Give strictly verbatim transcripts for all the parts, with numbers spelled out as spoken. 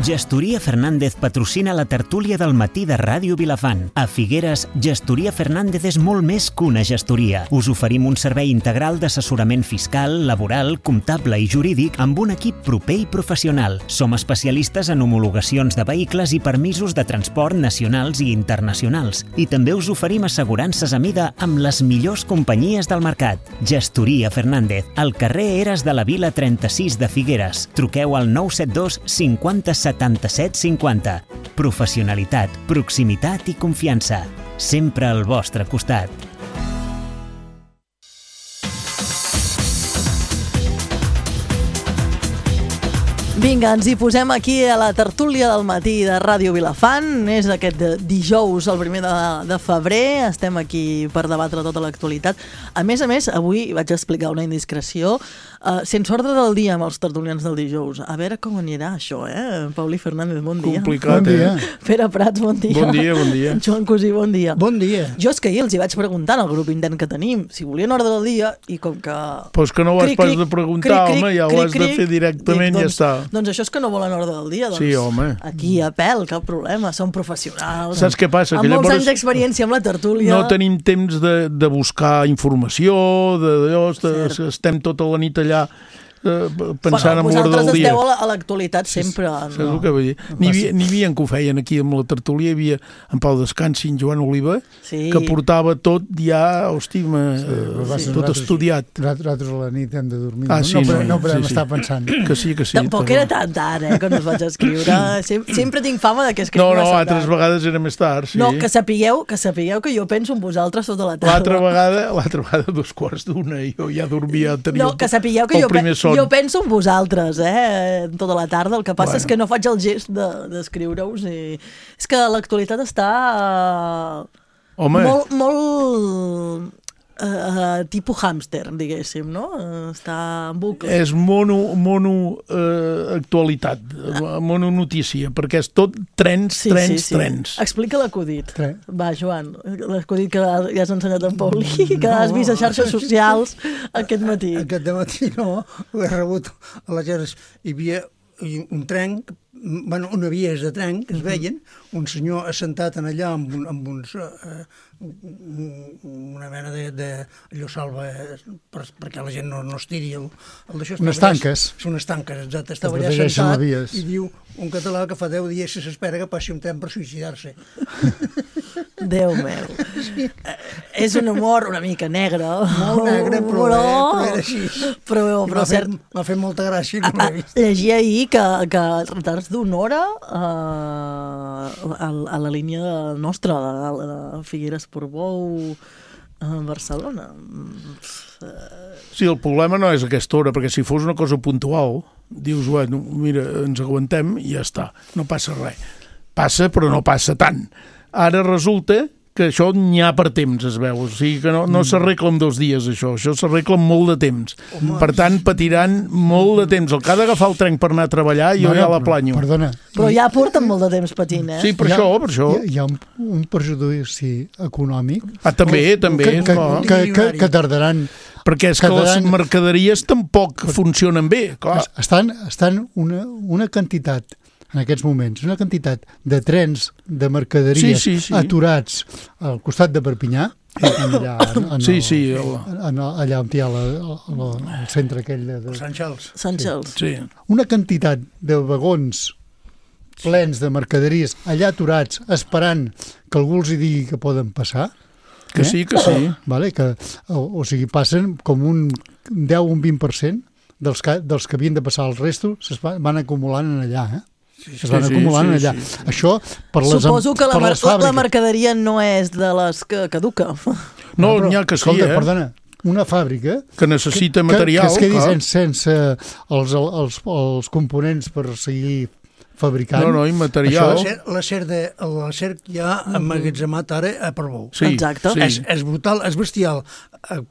Gestoria Fernández patrocina la tertúlia del matí de Ràdio Vilafant. A Figueres, Gestoria Fernández és molt més que una gestoria. Us oferim un servei integral d'assessorament fiscal, laboral, comptable i jurídic amb un equip proper i professional. Som especialistes en homologacions de vehicles i permisos de transport nacionals i internacionals. I també us oferim assegurances a mida amb les millors companyies del mercat. Gestoria Fernández, al carrer Eres de la Vila trenta-sis de Figueres. Truqueu al nou set dos cinquanta setanta-set cinquanta. Professionalitat, proximitat i confiança. Sempre al vostre costat. Vinga, ens hi posem aquí a la tertúlia del matí de Ràdio Vilafant. És aquest dijous, el primer de, de febrer. Estem aquí per debatre tota l'actualitat. A més a més, avui vaig explicar una indiscreció. Uh, sense ordre del dia amb els tertulians del dijous. A veure com anirà això, eh? Pauli Fernández, bon dia. Complicat, bon dia. eh? Pere Prats, bon dia. Bon dia, bon dia. Joan Cosí, bon dia. Bon dia. Jo és que ahir els hi vaig preguntar al grup intern que tenim si volien ordre del dia i com que... Però és que no ho has cric, pas cric, de preguntar, cric, cric, home, ja ho cric, has de cric, fer directament dic, i doncs, ja està. Doncs això és que no volen ordre del dia. Doncs sí, home. Aquí a pèl, cap problema, som professionals. Saps què passa? Amb que molts llavors anys d'experiència amb la tertúlia. No tenim temps de, de buscar informació, de, de, de, estem tota la nit allà eh, pensant bueno, en l'ordre del dia. Vosaltres esteu a l'actualitat sempre. Sí, no, que vull dir. N'hi havia, n'hi havia que ho feien aquí amb la tertúlia, hi havia en Pau Descansi i en Joan Oliva, sí. que portava tot ja, hosti, sí, sí. tot estudiat. Nosaltres a la nit hem de dormir, ah, no, sí, no, no, no podem sí, estar sí. pensant. Que sí, que sí. Tampoc era tan tard, eh, quan us vaig escriure. Sem sempre tinc fama de que escriu no, no, massa altres tard. vegades era més tard, sí. No, que sapigueu que sapigueu que jo penso en vosaltres tota la tarda. L'altra vegada, l'altra vegada dos quarts d'una, jo ja dormia, tenia no, que sapigueu que jo, pe jo penso en vosaltres, eh, tota la tarda. El que passa bueno. és que no faig el gest d'escriure-us de, i... És que l'actualitat està Home. molt, molt uh, tipus hàmster, diguéssim, no? Està en bucle. És mono, mono uh, actualitat, mono notícia, perquè és tot trens, sí, trens, sí, sí. trens. Explica l'acudit. Tre. Va, Joan, l'acudit que ja has ensenyat en Pauli, que no, has vist a xarxes socials aquest matí. Aquest matí no, ho he rebut a les xarxes. Hi havia un tren, bueno, una vies de tren que es veien, un senyor assentat en allà amb, un, amb uns, eh, una mena de, de allò salva per, perquè la gent no, no es tiri el, el d'això. Unes tanques. Allà, unes tanques, exacte. Estava allà assentat i diu un català que fa deu dies que s'espera que passi un tren per suïcidar-se. Déu meu. Sí. És un humor una mica negre. Molt negre, però, però, eh, però era així. Però, però m'ha cert... fet, fet molta gràcia. No a, a, llegia ahir que, que retards d'una hora uh, a, a la línia nostra, a, a Figueres-Portbou, a Barcelona. Sí, el problema no és aquesta hora, perquè si fos una cosa puntual, dius, bueno, mira, ens aguantem i ja està, no passa res. Passa, però no passa tant. Ara resulta que això n'hi ha per temps, es veu. O sigui que no, no s'arregla en dos dies, això. Això s'arregla en molt de temps. Home. Per tant, patiran molt de temps. El que ha d'agafar el tren per anar a treballar, jo no, ja la planyo. Perdona. Però ja porten molt de temps patint, eh? Sí, per ha, això, per això. Hi ha, hi ha un, un perjudici econòmic. Ah, també, també. Que, que, que, que, que tardaran... Perquè és que les mercaderies tampoc funcionen bé, clar. Estan, estan una, una quantitat... en aquests moments, una quantitat de trens de mercaderies sí, sí, sí. aturats al costat de Perpinyà, allà, en, en sí, el, sí, el... en, allà on hi ha la, el, el centre aquell de... de... Sant Xals. Sant Xals. Sí. Una quantitat de vagons plens de mercaderies allà aturats, esperant que algú els hi digui que poden passar. Que eh? sí, que sí. Vale, que, o, o sigui, passen com un deu o un vint per cent dels que, dels que havien de passar els restos es van, van acumulant en allà, eh? Sí, es van sí, acumulant sí, allà. Sí, sí. Això per les, suposo que la, per les fàbriques. La mercaderia no és de les que caduca. No, n'hi ha que sí, escolta, eh? Perdona, una fàbrica... Que necessita que, material. Que, que es quedi clar. sense, sense els, els, els components per seguir fabricant. No, no, i material. L'acer que hi ha emmagatzemat ara a Portbou. Sí, exacte. Sí. És, és brutal, és bestial.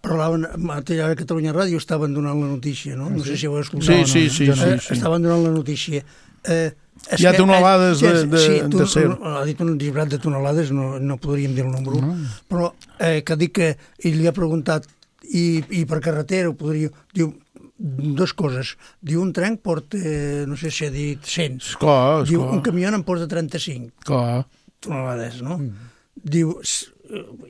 Parlaven, a Catalunya Ràdio estaven donant la notícia, no? No sé si ho heu escoltat. Sí, sí, sí. No, no, sí, sí. estaven donant la notícia. Eh, Hi ha tonelades de, de, sí, tu, de ser. Ha dit un disbrat de tonelades, no, no podríem dir el número, no. Però eh, que dic que ell li ha preguntat i, i per carretera ho podria... Diu, dues coses. Diu, un tren porta, no sé si ha dit cent. Esclar, Diu, esclar. un camió en porta trenta-cinc. Clar. Tonelades, no? Mm. Diu,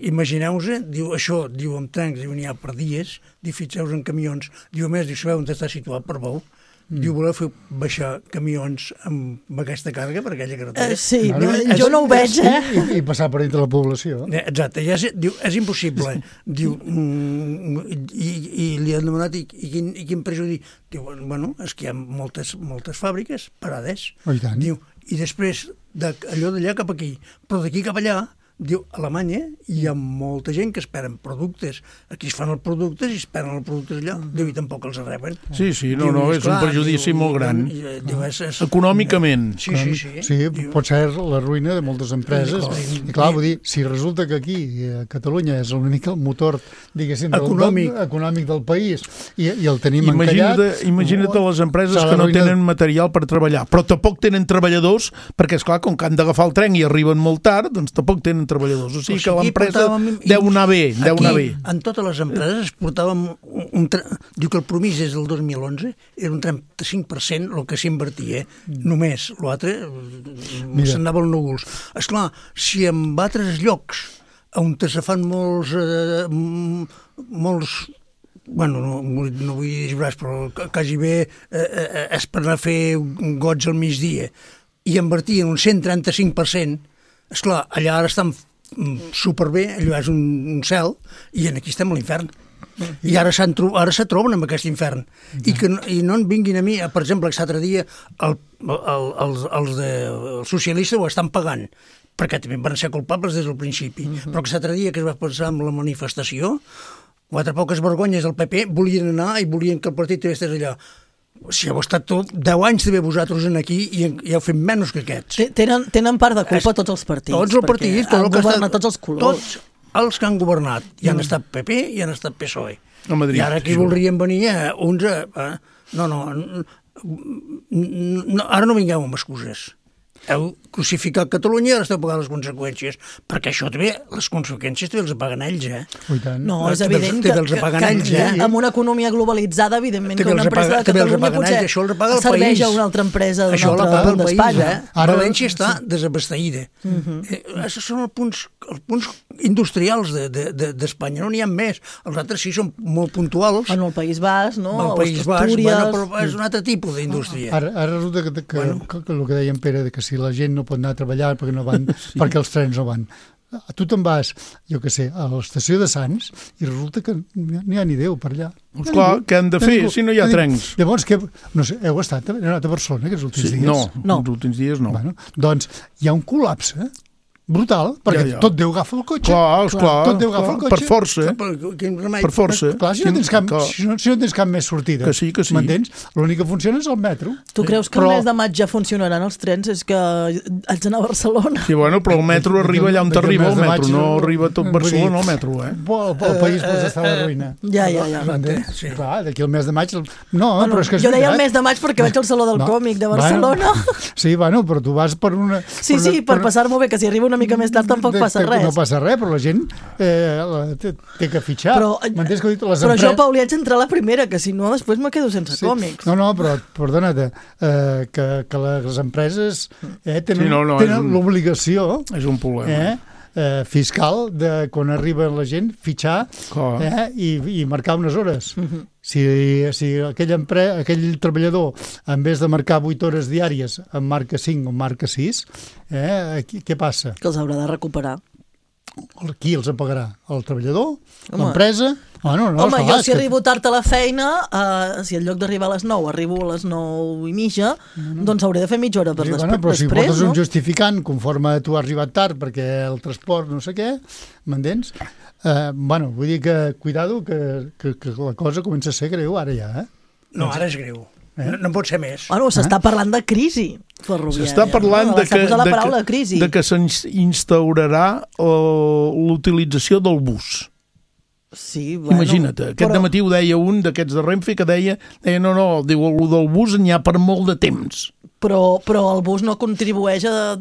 imagineu-vos, diu, això, diu, amb trens, diu, n'hi ha per dies, diu, fixeu-vos en camions, diu, a més, diu, sabeu on està situat per Bou? Mm. Diu, voleu fer baixar camions amb aquesta càrrega per aquella carretera? Eh, sí, Diu, no, és- jo no ho veig, eh? I, i passar per entre la població. Eh, Exacte, ja és, diu, és impossible. Diu, mm, i, i li han demanat, i, i, quin, i quin prejudici? Diu, bueno, és que hi ha moltes, moltes fàbriques parades. Oh, i tant. Diu, i després, de, allò d'allà cap aquí, però d'aquí cap allà, diu, a Alemanya hi ha molta gent que esperen productes. Aquí es fan els productes i esperen els productes allà. Diu, i tampoc els reben. Sí, sí, no, Diu, no, i és un perjudici diu, molt gran. i, i, diu, és, és, Econòmicament. Sí, sí, sí. Sí, Diu, pot ser la ruïna de moltes empreses. Sí, I clar, vull dir, si resulta que aquí, a Catalunya, és una mica el motor, diguéssim, del, Econòmic. del, econòmic del país, i, i el tenim Imagina't, encallat... imagina't les empreses s'ha que no d'arruïnar. tenen material per treballar, però tampoc tenen treballadors, perquè, esclar, com que han d'agafar el tren i arriben molt tard, doncs tampoc tenen treballadors. O sigui que aquí l'empresa portàvem- deu anar bé, deu anar bé. Aquí, en totes les empreses, portàvem un, un tre... Diu que el promís des del dos mil onze era un trenta-cinc per cent el que s'invertia, eh? Només. L'altre s'anava als núvols. Esclar, si en altres llocs on se fan molts... Eh, m- molts bueno, no, no vull dir disbrats, però que- quasi bé eh, eh, és per anar a fer gots al migdia, i invertien un cent trenta-cinc per cent, esclar, allà ara estan superbé, allò és un, un cel, i aquí estem a l'infern. I ara, tro ara se troben amb aquest infern. I, que no, I no en vinguin a mi, per exemple, que l'altre dia el, el, els, els, de, els socialistes ho estan pagant, perquè també van ser culpables des del principi. Uh -huh. Però que l'altre dia que es va passar amb la manifestació, quatre poques vergonyes del P P volien anar i volien que el partit també estigués allà. Si heu estat tot deu anys també vosaltres en aquí i, i heu fet menys que aquests. Té- Tenen, tenen part de culpa tots els partits. Tots els perquè partits, tot han el que governat està- tots els colors. Tots els que han governat. I han estat P P i han estat P S O E. A Madrid. I ara aquí voldrien venir a uns... A, a, no, no, no, ara no vingueu amb excuses. Heu crucificat Catalunya i ara esteu pagant les conseqüències, perquè això també, les conseqüències també els paguen ells, eh? Oh, i tant. No, és També els- evident també que, els que, apaguen que, ells, que eh? amb una economia globalitzada, evidentment, També que una els empresa apaga- de també els Catalunya apaguen potser ells, això els apaga el serveix país. a una altra empresa d'un Això altre l'apaga el punt país, d'Espanya. eh? Ara- València està desabasteïda. Uh -huh. eh, això són els punts, els punts industrials d'Espanya, de, de, d'Espanya. No n'hi ha més. Els altres sí són molt puntuals. En el País Basc, no? El País Basc, Astúries. bueno, però és un altre tipus d'indústria. Ara, ara resulta que, que, bueno. que, que el que deia en Pere, de que si la gent no pot anar a treballar perquè no van, sí. perquè els trens no van. Tu te'n vas, jo què sé, a l'estació de Sants i resulta que n'hi ha ni Déu per allà. Doncs clar, què han de fer si no hi ha trens? Llavors, que, no sé, heu estat, heu anat a Barcelona aquests últims Sí, dies? no, No. els últims dies no. Bueno, doncs hi ha un col·lapse brutal, perquè Ja, ja. tot Déu agafa el cotxe. Clar, esclar, tot Déu agafa clar, el cotxe. per força, eh? Per, quin remei? per força. Clar, si no, tens cap, Clar. si, no, si no tens cap més sortida, Que sí, que sí. m'entens? L'únic que funciona és el metro. Tu creus que Però- el mes de maig ja funcionaran els trens? És que haig d'anar a Barcelona. Sí, bueno, però el metro arriba allà on D'aquí al t'arriba mes el de metro, maig, no arriba a tot vull Barcelona dir, el metro, eh? El, el país pot estar a la ruïna. Ja, ja, ja. M'entens? sí. Clar, d'aquí al mes de maig... No, Bueno, però és que és jo deia el veritat. mes de maig perquè vaig al Saló del No. Còmic de Bueno, Barcelona. sí, bueno, però tu vas per una... Sí, sí, per passar-m'ho bé, que si arriba una mica més tard tampoc de- passa que res. No passa res, però la gent eh, la- té, té que fitxar. Però, M'entens que he dit? Les però jo, empre- Pau, li haig d'entrar a la primera, que si no després me quedo sense Sí. còmics. No, no, però perdona-te, eh, que, que les empreses eh, tenen, Sí, no, no, és tenen un- l'obligació És un problema. eh, eh, fiscal de quan arriba la gent fitxar Clar. eh, i, i marcar unes hores. Si, si aquell, empre, aquell treballador, en vez de marcar vuit hores diàries, en marca cinc o en marca sis, eh, aquí, què passa? Que els haurà de recuperar. Qui els pagarà? El treballador? Home. L'empresa? Bueno, no, Home, esclar, jo és si que- arribo tard a la feina, uh, si en lloc d'arribar a les nou arribo a les nou i mitja, doncs hauré de fer mitja hora per Sí, després, bueno, però si després, portes no? un justificant conforme tu has arribat tard perquè el transport no sé què, m'entens? Eh, bueno, vull dir que, cuidado, que, que, que la cosa comença a ser greu ara ja, eh? No, ara és greu. No, no pot ser més. Bueno, s'està parlant de crisi ferroviària. S'està parlant no? de que, S'ha posat la de paraula que, crisi. de que s'instaurarà uh, l'utilització del bus. Sí, bueno, Imagina't, aquest però- dematí ho deia un d'aquests de Renfe que deia, deia no, no, diu, el del bus n'hi ha per molt de temps. Però, però el bus no contribueix a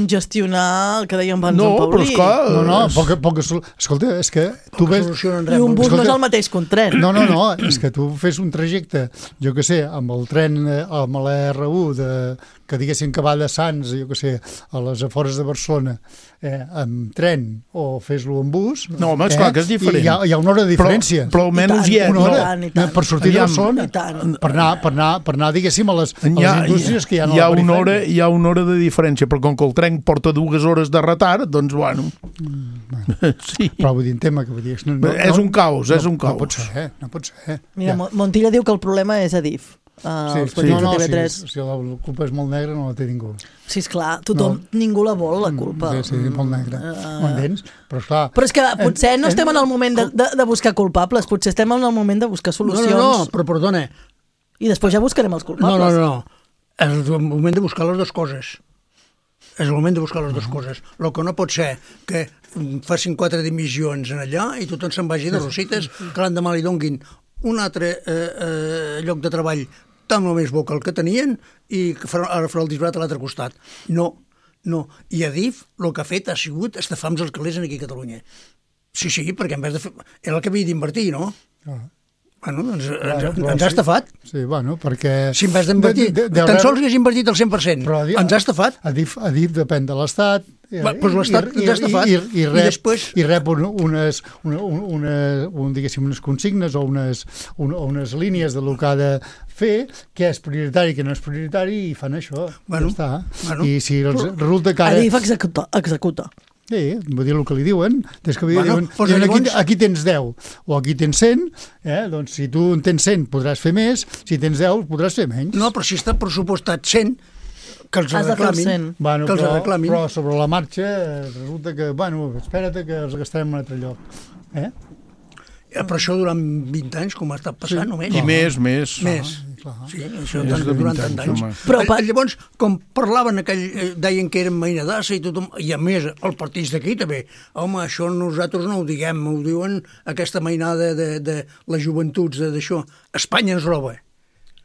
descongestionar el que dèiem abans no, en Paulí. Però esclar, No, no, poca, poca, escolta, és que tu ves... I un bus no és el mateix que un tren. No, no, no, és que tu fes un trajecte, jo que sé, amb el tren, eh, amb la erre u, de, que diguéssim que va de Sants, jo que sé, a les afores de Barcelona, eh, amb tren, o fes-lo amb bus... No, home, esclar, eh, que és diferent. Hi ha, hi ha una hora de diferència. Però, però almenys hi ha... Una hora, I tant, i tant. per sortir de Aviam. Barcelona, I tant. per anar, per anar, per anar diguéssim, a les, a les Hi ha, indústries que hi ha a hi ha la una hora, perifèria. hi ha una hora de diferència, però com que el tren porta dues hores de retard, doncs, bueno... Mm, sí. Però vull dir, en tema que vull dir... No, no, És un caos, és un no, caos. No pot ser, no pot ser. Mira, Ja. Montilla diu que el problema és Adif. Uh, Sí, els sí, petits no, no, de T V tres. si, si la culpa és molt negra no la té ningú. Sí, esclar, tothom, No. ningú la vol, la culpa. Sí, sí, molt negra. Uh, Ho entens? Però esclar... Però és que potser no en- estem en el moment de, de, de buscar culpables, potser estem en el moment de buscar No, solucions no, no, però perdona. i després ja buscarem els No, culpables. no, no, no. És el moment de buscar les dues coses. És el moment de buscar les dues coses. El que no pot ser que facin quatre dimissions en allà i tothom se'n vagi de rosites, que l'endemà li donguin un altre eh, eh, lloc de treball tan o més bo que el que tenien i que farà, ara farà el disbarat a l'altre costat. No, no. I Adif el que ha fet ha sigut estafar els calés aquí a Catalunya. Sí, sí, perquè en vez de fer... Era el que havia d'invertir, no? Ah. Bueno, doncs ens, Clar, ens, clar, ens ha sí. estafat. Sí, bueno, perquè... Si en vez d'invertir, De- de- de- tan de- sols hagués invertit el cent per cent. Però Adif- Ens ha estafat. Adif, Adif depèn de l'Estat. eh, Va, doncs l'Estat i- ens ha estafat. I, i, i, I rep, després- i rep un, unes, una, una, un, diguéssim, unes consignes o unes, un, o unes línies de lo que ha de fer, què és prioritari i què no és prioritari, i fan això. Bueno, ja està. bueno. I si els, resulta que ara... Adif executa. executa. Sí, vull dir el que li diuen. Des que Bueno, diuen, doncs diuen aquí, llavors- aquí tens deu o aquí tens cent, eh? Doncs si tu en tens cent podràs fer més, si tens deu podràs fer menys. No, però si està pressupostat cent, que els Has de fer el reclamin. cent. Bueno, que els però, reclamin. però sobre la marxa eh, resulta que, bueno, espera't que els gastarem en un altre lloc. Eh? Eh, Però això durant vint anys, com ha estat passant, Sí. només. I més, més. Més. clar. Sí, això Més tant, de durant vint tant anys, anys. home. Però pa- Llavors, com parlaven aquell, eh, deien que eren mainadassa i tothom, i a més, els partits d'aquí també, home, això nosaltres no ho diguem, ho diuen aquesta mainada de, de les joventuts de- d'això. Espanya ens roba.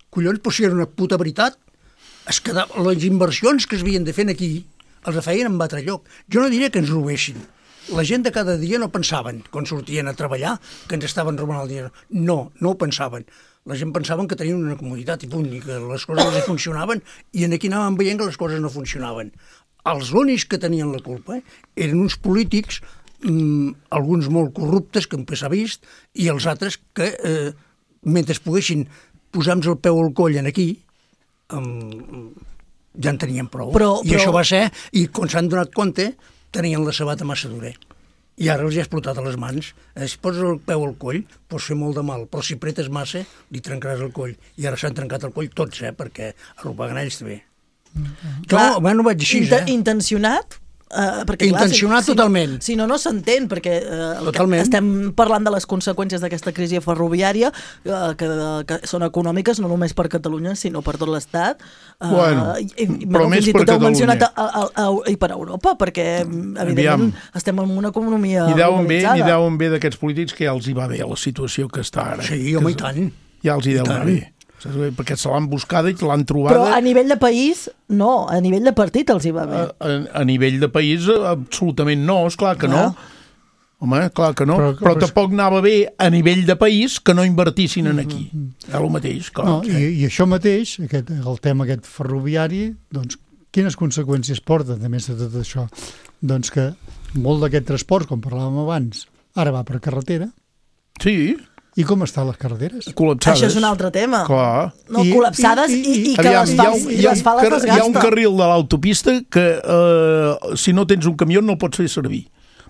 Collons, però si era una puta veritat, es quedava, les inversions que es havien de fer aquí els feien en altre lloc. Jo no diria que ens robessin. La gent de cada dia no pensaven, quan sortien a treballar, que ens estaven robant el diners. No, no ho pensaven. La gent pensaven que tenien una comoditat i punt, i que les coses els funcionaven, i en aquí anàvem veient que les coses no funcionaven. Els únics que tenien la culpa eren uns polítics, mmm, alguns molt corruptes, que sempre s'ha vist, i els altres que, eh, mentre poguessin posar-nos el peu al coll en aquí, um, ja en tenien prou. Però- I però- això va ser, i quan s'han donat compte, tenien la sabata massa dura. I ara els hi ha explotat a les mans. Eh, Si poses el peu al coll, pots fer molt de mal, però si pretes massa, li trencaràs el coll. I ara s'han trencat el coll tots, eh, perquè arrupeguen ells també. Clar, Jo, bueno, vaig així, inte- eh? Intencionat? Uh, perquè, Intencionat si, totalment. Si no, si no, no s'entén, perquè uh, Totalment. estem parlant de les conseqüències d'aquesta crisi ferroviària, uh, que, que són econòmiques no només per Catalunya, sinó per tot l'Estat. Uh, Bueno, i, i, però bueno, més fins i per tot heu Catalunya. mencionat a, a, a, i per Europa, perquè, evidentment, Aviam. estem en una economia Ni deuen bé, globalitzada. ni deuen bé d'aquests polítics que ja els hi va bé la situació que està ara. Sí, home, Que i tant. Ja els hi deu I anar tant. bé. Saps bé? Perquè se l'han buscada i l'han Però trobada. a nivell de país, no. A nivell de partit els hi va bé. A, a, a nivell de país, absolutament no, esclar que Clar. no. Home, clar que no. Però- Però, però però- tampoc anava bé a nivell de país que no invertissin en aquí. És el mateix, clar. No, i, I això mateix, aquest, el tema aquest ferroviari, doncs, quines conseqüències porta, a més de tot això? Doncs que molt d'aquest transport, com parlàvem abans, ara va per carretera. Sí, I com estan les carreteres? col·lapsades. Això és un altre tema. Clar. No, I- col·lapsades i, i- i, i- i que Aviam, les hi ha fals, un- i hi ha les un fales car- les Hi ha un gasta. carril de l'autopista que eh, si no tens un camió no el pots fer servir,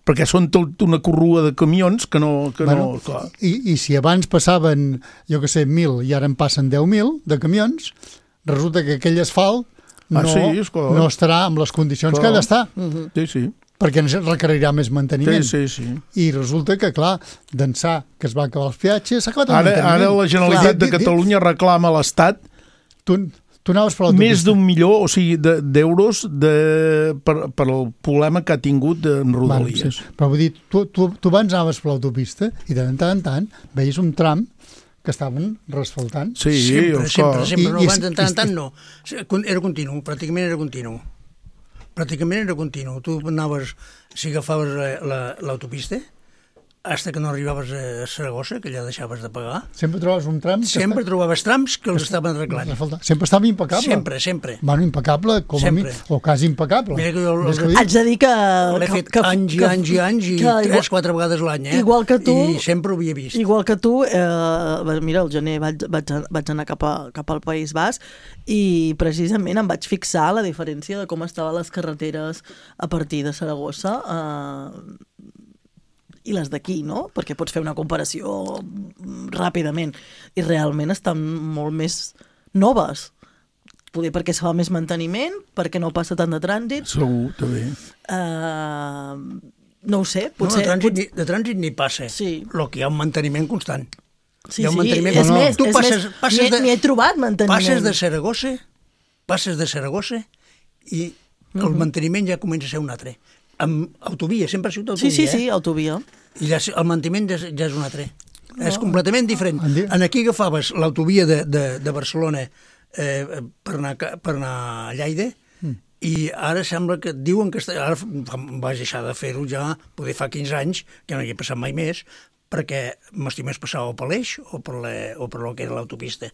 perquè són tot una corrua de camions que no... Que Bueno, no clar. i, I si abans passaven, jo que sé, mil i ara en passen deu mil de camions, resulta que aquell asfalt no, Ah, sí, és clar. no estarà amb les condicions Clar. que ha d'estar, Sí, sí. perquè ens requerirà més manteniment. Sí, sí, sí. I resulta que, clar, d'ençà que es va acabar els peatges, s'ha acabat el Ara, manteniment. ara la Generalitat Clar. de Di- di- Catalunya reclama a l'Estat Tu, tu anaves per més l'autopista. d'un milió, o sigui, de- d'euros de, per, per el problema que ha tingut en Rodalies. Vale, sí. Però vull dir, tu, tu, tu abans anaves per l'autopista i de tant en tant veies un tram que estaven resfaltant. Sí, sempre, sempre, sempre, I- no, i- abans de tant en i- tant no. Era continu, pràcticament era continu. Pràcticament era continu. Tu anaves, si agafaves la- la- l'autopista, hasta que no arribaves a Saragossa, que ja deixaves de pagar, Sempre trobes un tram... que sempre està- trobaves trams que els estaven arreglant. resfaltant. Sempre estava impecable. Sempre, sempre. Bueno, impecable, com a mi, Sempre. o quasi impecable. Mira que jo el- Ves que ho Haig dic? de dir que... L'he que- fet que- anys i que- anys i anys i que igual- tres, quatre vegades l'any, eh? Igual que tu- I sempre ho havia vist. Igual que tu, eh, mira, al gener vaig, vaig, vaig anar cap, a, cap al País Basc i precisament em vaig fixar la diferència de com estaven les carreteres a partir de Saragossa eh, i les d'aquí, no? Perquè pots fer una comparació ràpidament i realment estan molt més noves. Poder perquè se fa més manteniment, perquè no passa tant de trànsit. Segur, també. Uh, no ho sé, No, potser... de, trànsit, ni- de trànsit ni passa. Sí. El que hi ha un manteniment constant. Sí, hi ha un sí, manteniment és constant. més, Tu és passes, més, passes n'hi he- de, n'hi he trobat manteniment. passes de Saragossa, passes de Saragossa i el manteniment ja comença a ser un altre. Amb autovia, sempre ha sigut autovia, Sí, sí, sí, eh? autovia. I ja, el manteniment ja, és- ja és un altre. No. És completament diferent. En di- En aquí agafaves l'autovia de, de, de Barcelona eh, per, anar, a ca- per anar a Lleida mm. i ara sembla que diuen que... Està, ara fa- vaig deixar de fer-ho ja, poder fa quinze anys, que no hi he passat mai més, perquè m'estic més passar o per l'eix o per, la, o per el que era l'autopista.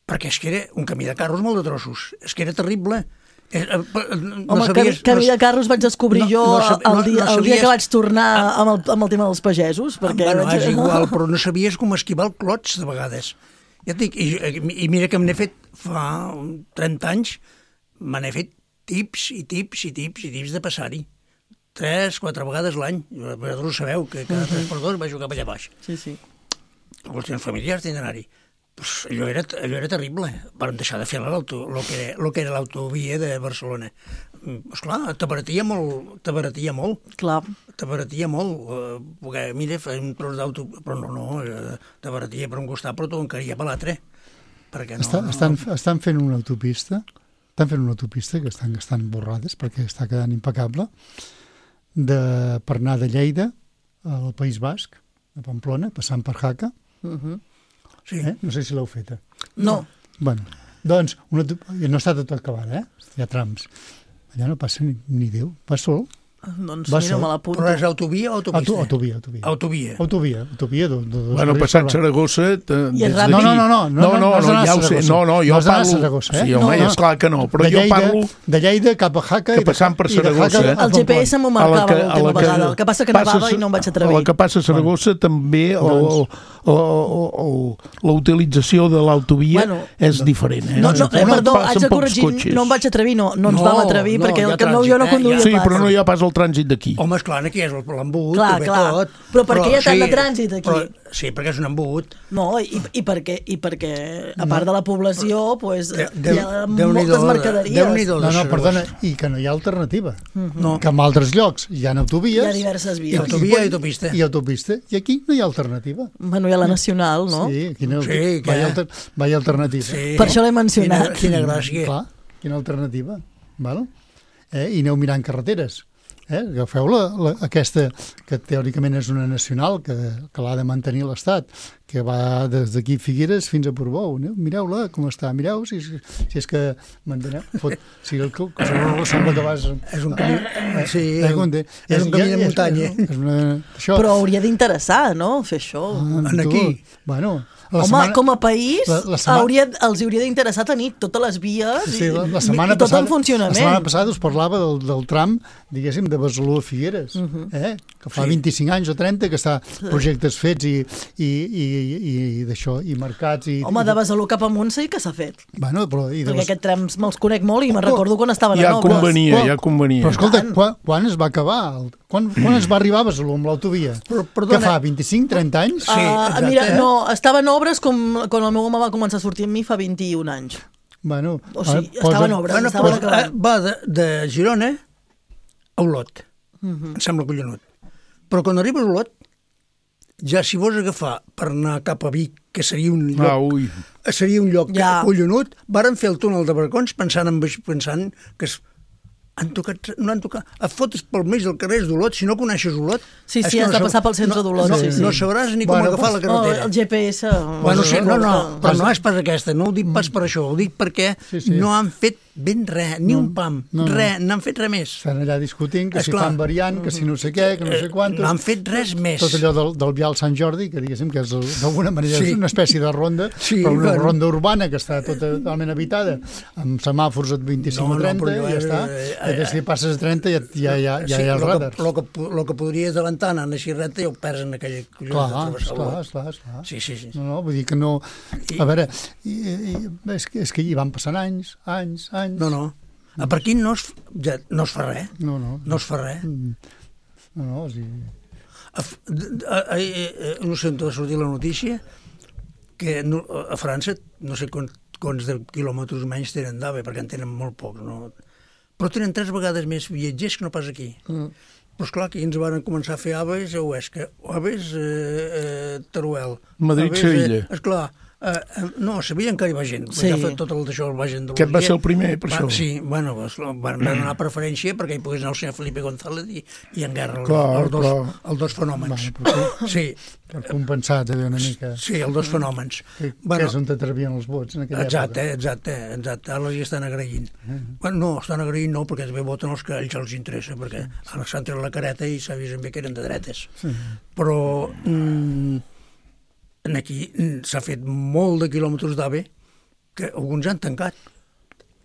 Perquè és que era un camí de carros molt de trossos. És que era terrible. Eh, eh, no Home, sabies, camí no, de carros vaig descobrir no- jo no sab- el, no- dia, no el dia sabies- que vaig tornar amb el, amb el tema dels pagesos. Perquè Bueno, vaig... és igual, però no sabies com esquivar el clots de vegades. Ja et dic, i, i mira que me n'he fet fa trenta anys, me n'he fet tips i tips i tips i tips de passar-hi. Tres, quatre vegades l'any. Vosaltres ho sabeu, que cada tres per dos vaig jugar per allà baix. Sí, sí. Qüestions familiars tenen d'anar-hi. Pues allò, era, allò era terrible. Van deixar de fer l'auto, lo que era, lo que era l'autovia de Barcelona. Mm, esclar, t'abaratia molt, t'abaratia molt. Clar. T'abaratia molt, eh, perquè, mira, fer un tros d'auto... Però no, no, eh, t'abaratia per un costat, però t'ho encaria per l'altre. Perquè no... Està, estan, estan fent una autopista, estan fent una autopista que estan gastant borrades perquè està quedant impecable, de, per anar de Lleida al País Basc, a Pamplona, passant per Jaca. Uh -huh. Sí. Eh? No sé si l'heu feta. No. Bueno, doncs, una, no està tot acabada, eh? Hi ha trams. Allà no passa ni, ni Déu. Va sol. Doncs Va mira, sol. me l'apunto. Però és autovia o autopista? Auto, autovia, autovia. Autovia. Autovia, autovia. Do, do, dos Bueno, carrils passant per Saragossa... te- I és des ràpid. d'aquí- No, no, no, no, no, no, no has no, d'anar a ja ho sé. Saragossa. No, no, No jo has d'anar a parlo... Saragossa, eh? Sí, home, No, no. és clar que no, però de jo Lleida, parlo... de Lleida cap a Jaca... que i de- passant per i de Jaca Saragossa, a eh? El G P Pamplona. S m'ho A la marcava que- l'última a la que vegada. El que passa que passes- nevava i no em vaig A atrevir. la que passa a Saragossa també o, o, o, o, o la utilització de l'autovia Bueno, és diferent. Eh? No, no, eh, On perdó, passen haig de pocs corregir, cotxes. no em vaig atrevir, no, no ens No, vam atrevir, no, perquè hi ha el que no, trànsit, jo no eh? conduïa Sí, pas. però no hi ha pas el trànsit d'aquí. Home, esclar, aquí és l'embut, Clar, ho ve clar. tot. Però per què hi ha tant de trànsit aquí? Però, sí, perquè és un embut. No, i, i, perquè, i perquè, a part de la població, pues, De- hi ha Déu-n'hi-do, moltes mercaderies. Déu-n'hi-do. No, no, Saragossa. perdona, i que no hi ha alternativa. No. Que en altres llocs hi ha autovies... Hi ha diverses I vies. autovia i autopista. I autopista, i aquí no hi ha alternativa. Bueno, hi ha la nacional, no? Sí, quina, Sí, sí, què? vaya, alter, vaya alternativa. Sí. Per això l'he mencionat. Quina, quina gràcia. Clar, quina alternativa. Val? Eh? I aneu mirant carreteres. Eh? Agafeu la, la, aquesta, que teòricament és una nacional, que, que l'ha de mantenir l'Estat, que va des d'aquí Figueres fins a Portbou. Aneu, mireu-la, com està. Mireu si, si és que manteneu. Fot, si el que sembla que vas... És un camí, sí, Eh, com de- és un camí de és- muntanya. És, és una, això, Però hauria d'interessar, no?, fer això. Ah, En tu, aquí. Bueno, la Home, setmana- com a país, la- la setmana- hauria, els hauria d'interessar tenir totes les vies Sí, la, la i, setmana i tot passada, en funcionament. La setmana passada us parlava del, del tram, diguéssim, de Besalú a Figueres, uh -huh. eh? que fa Sí. vint-i-cinc anys o trenta que està projectes fets i, i, i, i, i d'això, i marcats. I, Home, i, de Besalú cap amunt sí que s'ha fet. Bueno, però, i de Perquè les... aquest trams me'ls conec molt i me'n recordo quan estaven Ja a Nobles. convenia, Però- ja convenia. Però escolta, Tant. quan, quan es va acabar? El- Quan, quan es va arribar a Besalú amb l'autovia? Però, perdona. Que fa vint-i-cinc trenta anys? Sí, Ah, exacte. mira, no, estava en obres com quan el meu home va començar a sortir amb mi fa vint-i-un anys. Bueno, O sigui, ara estava en obres, Bueno, estava però, acabant. eh, va de, de Girona a Olot. Uh -huh. Em sembla collonut. Però quan arribes a Olot, ja si vols agafar per anar cap a Vic, que seria un lloc, Ah, ui. seria un lloc Ja. collonut, varen fer el túnel de Barcons pensant, en, pensant que es, han tocat, no han tocat, et fotes pel mig del carrer d'Olot, si no coneixes Olot... Sí, sí, has de passar pel centre d'Olot. No, sí, sí. no sabràs ni com agafar la carretera. El G P S... Bueno, sí, no, no, però no és pas aquesta, no ho dic pas per això, ho dic perquè no han fet ben res, ni un pam, res, no han fet res més. Estan allà discutint que si fan variant, que si no sé què, que no sé quantos... No han fet res més. Tot allò del, del vial Sant Jordi, que diguéssim que és d'alguna manera sí. una espècie de ronda, sí, però una bueno. ronda urbana que està totalment habitada, amb semàfors a vint-i-cinc o trenta, i ja està. Perquè si passes a trenta ja, ja, ja, ja sí, hi ha els radars. El que, que, que podries adelantar anant així recte ja ho perds en aquella collona clar, de travessar. Clar, clar, clar. Sí, sí, sí. No, no, vull dir que no... A veure, i, i, és, que, és que hi van passant anys, anys, anys... No, no. A per aquí no es, ja, no es fa res. No, no. No es fa res. No, no, o sigui... A, a, a, a, no sé on va sortir la notícia que no, a França no sé quants, quants de quilòmetres menys tenen d'AVE, perquè en tenen molt pocs, no? Però tenen tres vegades més viatgers que no pas aquí. Mm. Però esclar, aquí ens van començar a fer AVEs a Huesca, AVEs a eh, eh, Teruel. Madrid-Sevilla. Eh, esclar, Uh, no, a Sevilla encara hi va gent, sí. Ja tot el d'això va gent de Aquest va ser el primer, per va, això. Sí, bueno, van, van donar preferència perquè hi pogués anar el senyor Felipe González i, i en guerra clar, els, dos, clar. els dos fenòmens. Va, sí. Per compensar també una mica. Sí, els dos fenòmens. Que, bueno, que és on t'atrevien els vots en aquella exacte, època. Exacte, exacte, ara els hi estan agraint. Uh-huh. Bueno, no, estan agraint no, perquè també voten els que a ells els interessa, perquè sí. Ara s'han tret la careta i s'ha vist bé que eren de dretes. Sí. Però... Mm, aquí s'ha fet molt de quilòmetres d'AVE que alguns han tancat.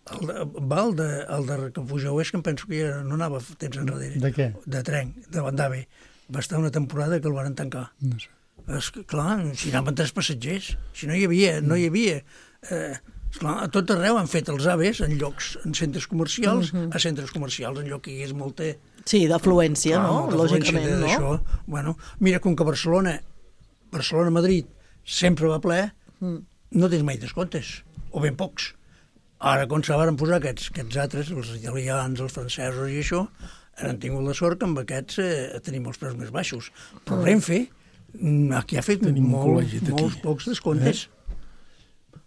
El de, va el de, el de que puja a Huesca, em penso que ja no anava temps enrere. De què? De tren, davant d'AVE. Va estar una temporada que el van tancar. No sé. És que, clar, si anaven tres passatgers, si no hi havia, no hi havia... Eh, esclar, a tot arreu han fet els AVEs en llocs, en centres comercials, uh-huh. a centres comercials, en lloc que hi hagués molta... Sí, d'afluència, no? Lògicament, de, no? Això. Bueno, mira, com que Barcelona Barcelona-Madrid sempre va ple, mm. no tens mai descomptes, o ben pocs. Ara, quan se van posar aquests, aquests altres, els italians, els francesos i això, han tingut la sort que amb aquests eh, tenim els preus més baixos. Però mm. Renfe, aquí ha fet molt, molts pocs descomptes. Eh?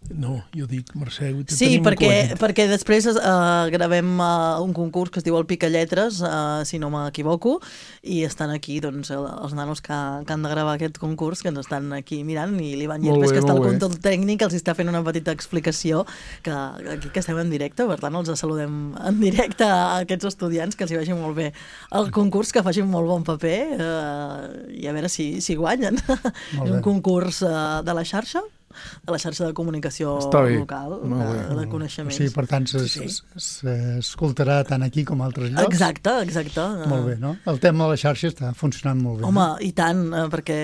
No, jo dic, Mercè... Sí, perquè, perquè després uh, gravem uh, un concurs que es diu el Picalletres, uh, si no m'equivoco, i estan aquí doncs, els nanos que, que han de gravar aquest concurs, que ens estan aquí mirant, i l'Ivan Llepes, que està al control tècnic, els està fent una petita explicació, que aquí que estem en directe, per tant els saludem en directe a aquests estudiants, que els hi vagi molt bé el concurs, que facin molt bon paper, uh, i a veure si, si guanyen. És un concurs uh, de la xarxa, de la xarxa de comunicació local, de, de coneixements. Sí, per tant, s'escoltarà tant aquí com a altres llocs. Exacte, exacte. Molt bé, no? El tema de la xarxa està funcionant molt bé. Home, no? I tant, perquè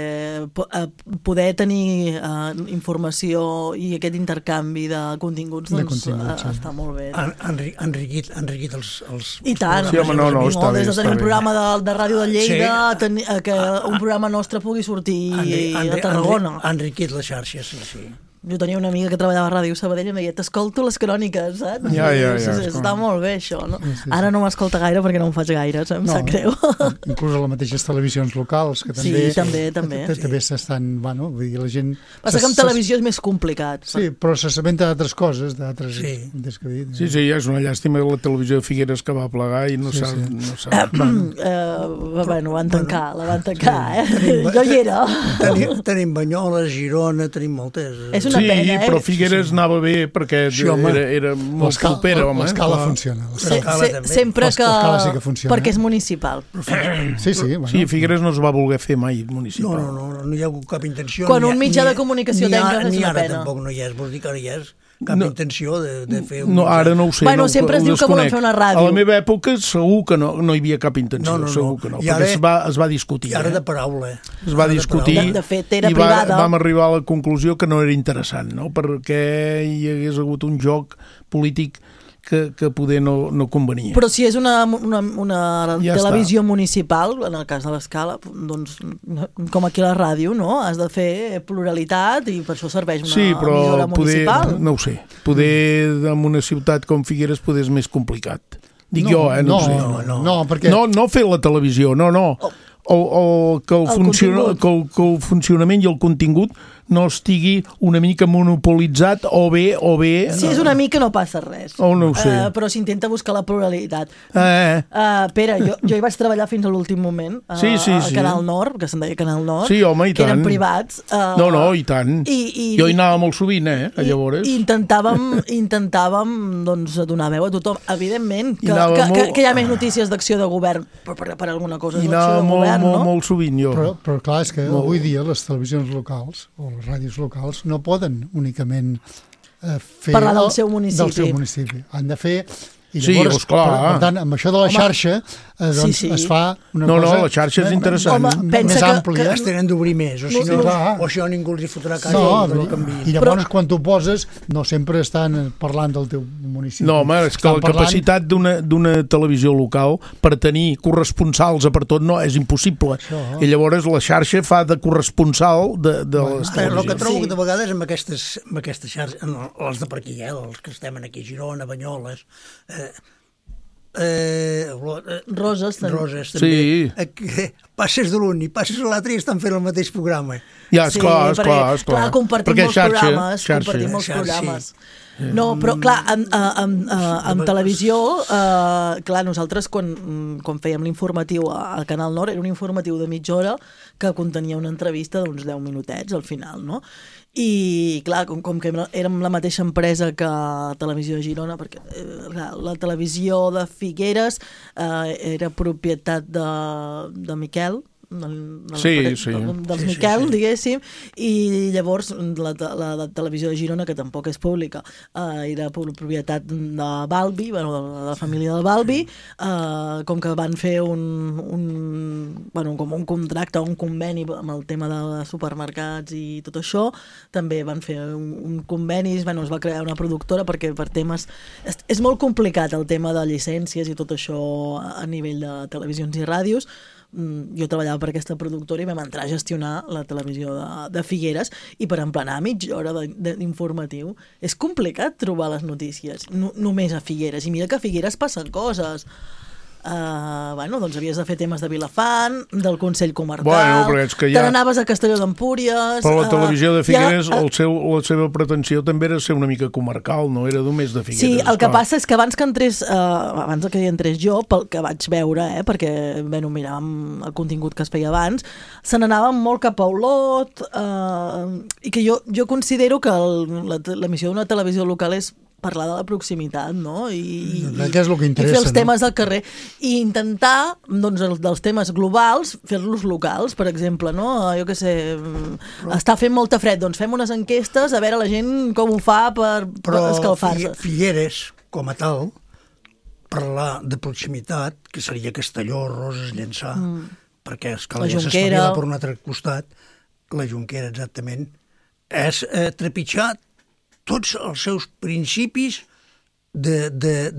poder tenir uh, informació i aquest intercanvi de continguts, doncs, de continguts, sí. Està molt bé. Han, han enriquit, enriquit els, els... I tant. Sí, home, no, no, està bé. Des de tenir un programa de, de Ràdio de Lleida, sí. tenir, que un programa nostre pugui sortir Enri, Enri, a Tarragona. Ha enriquit la xarxa, sí, sí. Jo tenia una amiga que treballava a Ràdio Sabadell i em deia, t'escolto les cròniques, saps? Ja, ja, ja. Sí, està molt bé, això, no? Sí, sí, sí. Ara no m'escolta gaire perquè no em faig gaire, em no, sap greu. Inclús a les mateixes televisions locals, que també... Sí, també, també. També s'estan, bueno, vull dir, la gent... Passa que amb televisió és més complicat. Sí, però se sabenta d'altres coses, d'altres... Sí. Sí, sí, és una llàstima la televisió de Figueres que va plegar i no s'ha... Sí, sí. No s'ha... Uh, bueno, van tancar, la van tancar, eh? Jo hi era. Tenim, tenim Banyoles, Girona, tenim moltes... És una pena, eh? Però Figueres sí. anava bé perquè sí, era, era molt propera, home. L'escala funciona. Sempre que... L'escala sí que funciona. Perquè és municipal. Sí, sí. Bueno. Sí, Figueres no es va voler fer mai municipal. No, no, no, no hi ha hagut cap intenció. Quan un mitjà de comunicació tenga és una pena. Ni ara tampoc no hi és, vols dir que ara hi és cap no, intenció de, de fer... Un... No, ara no ho sé. Bueno, no, sempre es diu que volen fer una ràdio. A la meva època segur que no, no hi havia cap intenció, no, no, segur no. que no, I perquè ara, es va, es va discutir. I ara eh? de paraula. Es va discutir de, de fet, era i va, privada. Vam arribar a la conclusió que no era interessant, no? Perquè hi hagués hagut un joc polític que, que poder no, no convenia. Però si és una, una, una ja televisió està. municipal, en el cas de l'Escala, doncs, com aquí a la ràdio, no? Has de fer pluralitat i per això serveix una sí, però emissora municipal. Poder, no ho sé. Poder en una ciutat com Figueres poder és més complicat. Dic no, jo, eh? No, no, ho sé. no, no, no, perquè... no, no fer la televisió, no, no. O, o que, el el funciona, que, el, que el funcionament i el contingut no estigui una mica monopolitzat o bé... O bé si és una mica no passa res. Oh, no ho sé. Uh, però s'intenta buscar la pluralitat. Eh. Uh, Pere, jo, jo hi vaig treballar fins a l'últim moment uh, sí, sí, al sí. Canal Nord, que se'n deia Canal Nord, sí, home, i que tant. eren privats. Uh, no, no, i tant. I, i, jo hi anava molt sovint, eh, a llavors. I intentàvem, intentàvem doncs, donar veu a tothom. Evidentment, que, que, molt... que, que hi ha més notícies d'acció de govern per, per, per alguna cosa. I anava molt, govern, molt, no? molt sovint, jo. Però, però clar, és que molt. Avui dia les televisions locals o les ràdios locals no poden únicament eh, fer... parlar del seu municipi. Del seu municipi. Han de fer... I sí, llavors, esclar. Per, per tant, amb això de la Home, xarxa, eh, doncs sí, sí. es fa una no, cosa... No, la xarxa és interessant. Home, més àmplia. Que es tenen d'obrir més, o si no, no o això ningú els hi fotrà casa no, i no I llavors, Però... quan tu poses, no sempre estan parlant del teu municipi. No, home, és que estan la parlant... capacitat d'una televisió local per tenir corresponsals a per tot no, és impossible. Això. I llavors la xarxa fa de corresponsal de, de bueno, les televisions. El que trobo sí. de vegades amb aquestes, amb aquestes xarxes, els de per aquí, eh, els que estem aquí a Girona, Banyoles... Eh, Eh, Roses també. Roses també. Sí. Eh, passes de l'un i passes a l'altre i estan fent el mateix programa. Ja, esclar, sí, esclar, esclar. Clar, compartim perquè molts xarxa, programes, xarxa. compartim molts xarxa, programes. Sí. No, però clar, en, en, en, en televisió, eh, clar, nosaltres quan, quan fèiem l'informatiu al Canal Nord, era un informatiu de mitja hora que contenia una entrevista d'uns deu minutets al final, no? I clar, com, com que érem la mateixa empresa que Televisió de Girona, perquè eh, la televisió de Figueres eh, era propietat de, de Miquel, de, de sí, la, sí. dels sí, Miquel, sí, sí. diguéssim, i llavors la, la, la televisió de Girona, que tampoc és pública, eh, era propietat de Balbi, bueno, de la família del Balbi, eh, com que van fer un, un, bueno, com un contracte, un conveni amb el tema de supermercats i tot això, també van fer un, un conveni, bueno, es va crear una productora perquè per temes... És, és molt complicat el tema de llicències i tot això a nivell de televisions i ràdios. Jo treballava per aquesta productora i vam entrar a gestionar la televisió de, de Figueres i per emplenar mitja hora d'informatiu és complicat trobar les notícies no, només a Figueres, i mira que a Figueres passen coses. Uh, bueno, doncs havies de fer temes de Vilafant, del Consell Comarcal, bueno, ja... te n'anaves a Castelló d'Empúries... Però la televisió de Figueres, uh, ja, uh, el seu, la seva pretensió també era ser una mica comarcal, no era només de Figueres. Sí, el que clar. passa és que abans que entrés, uh, abans que hi entrés jo, pel que vaig veure, eh, perquè bueno, miràvem el contingut que es feia abans, se n'anàvem molt cap a Olot, uh, i que jo, jo considero que l'emissió d'una televisió local és parlar de la proximitat, no? I, i, que és el que interessa, i fer els temes no? del carrer. I intentar, doncs, els, dels temes globals, fer-los locals, per exemple, no? Jo què sé, però... està fent molta fred, doncs fem unes enquestes a veure la gent com ho fa per, per escalfar-se. Però Figueres, com a tal, parlar de proximitat, que seria Castelló, Roses, Llençà, mm. perquè Escalella s'espavila per un altre costat, la Jonquera, exactament, és eh, trepitjar tots els seus principis d'egoisme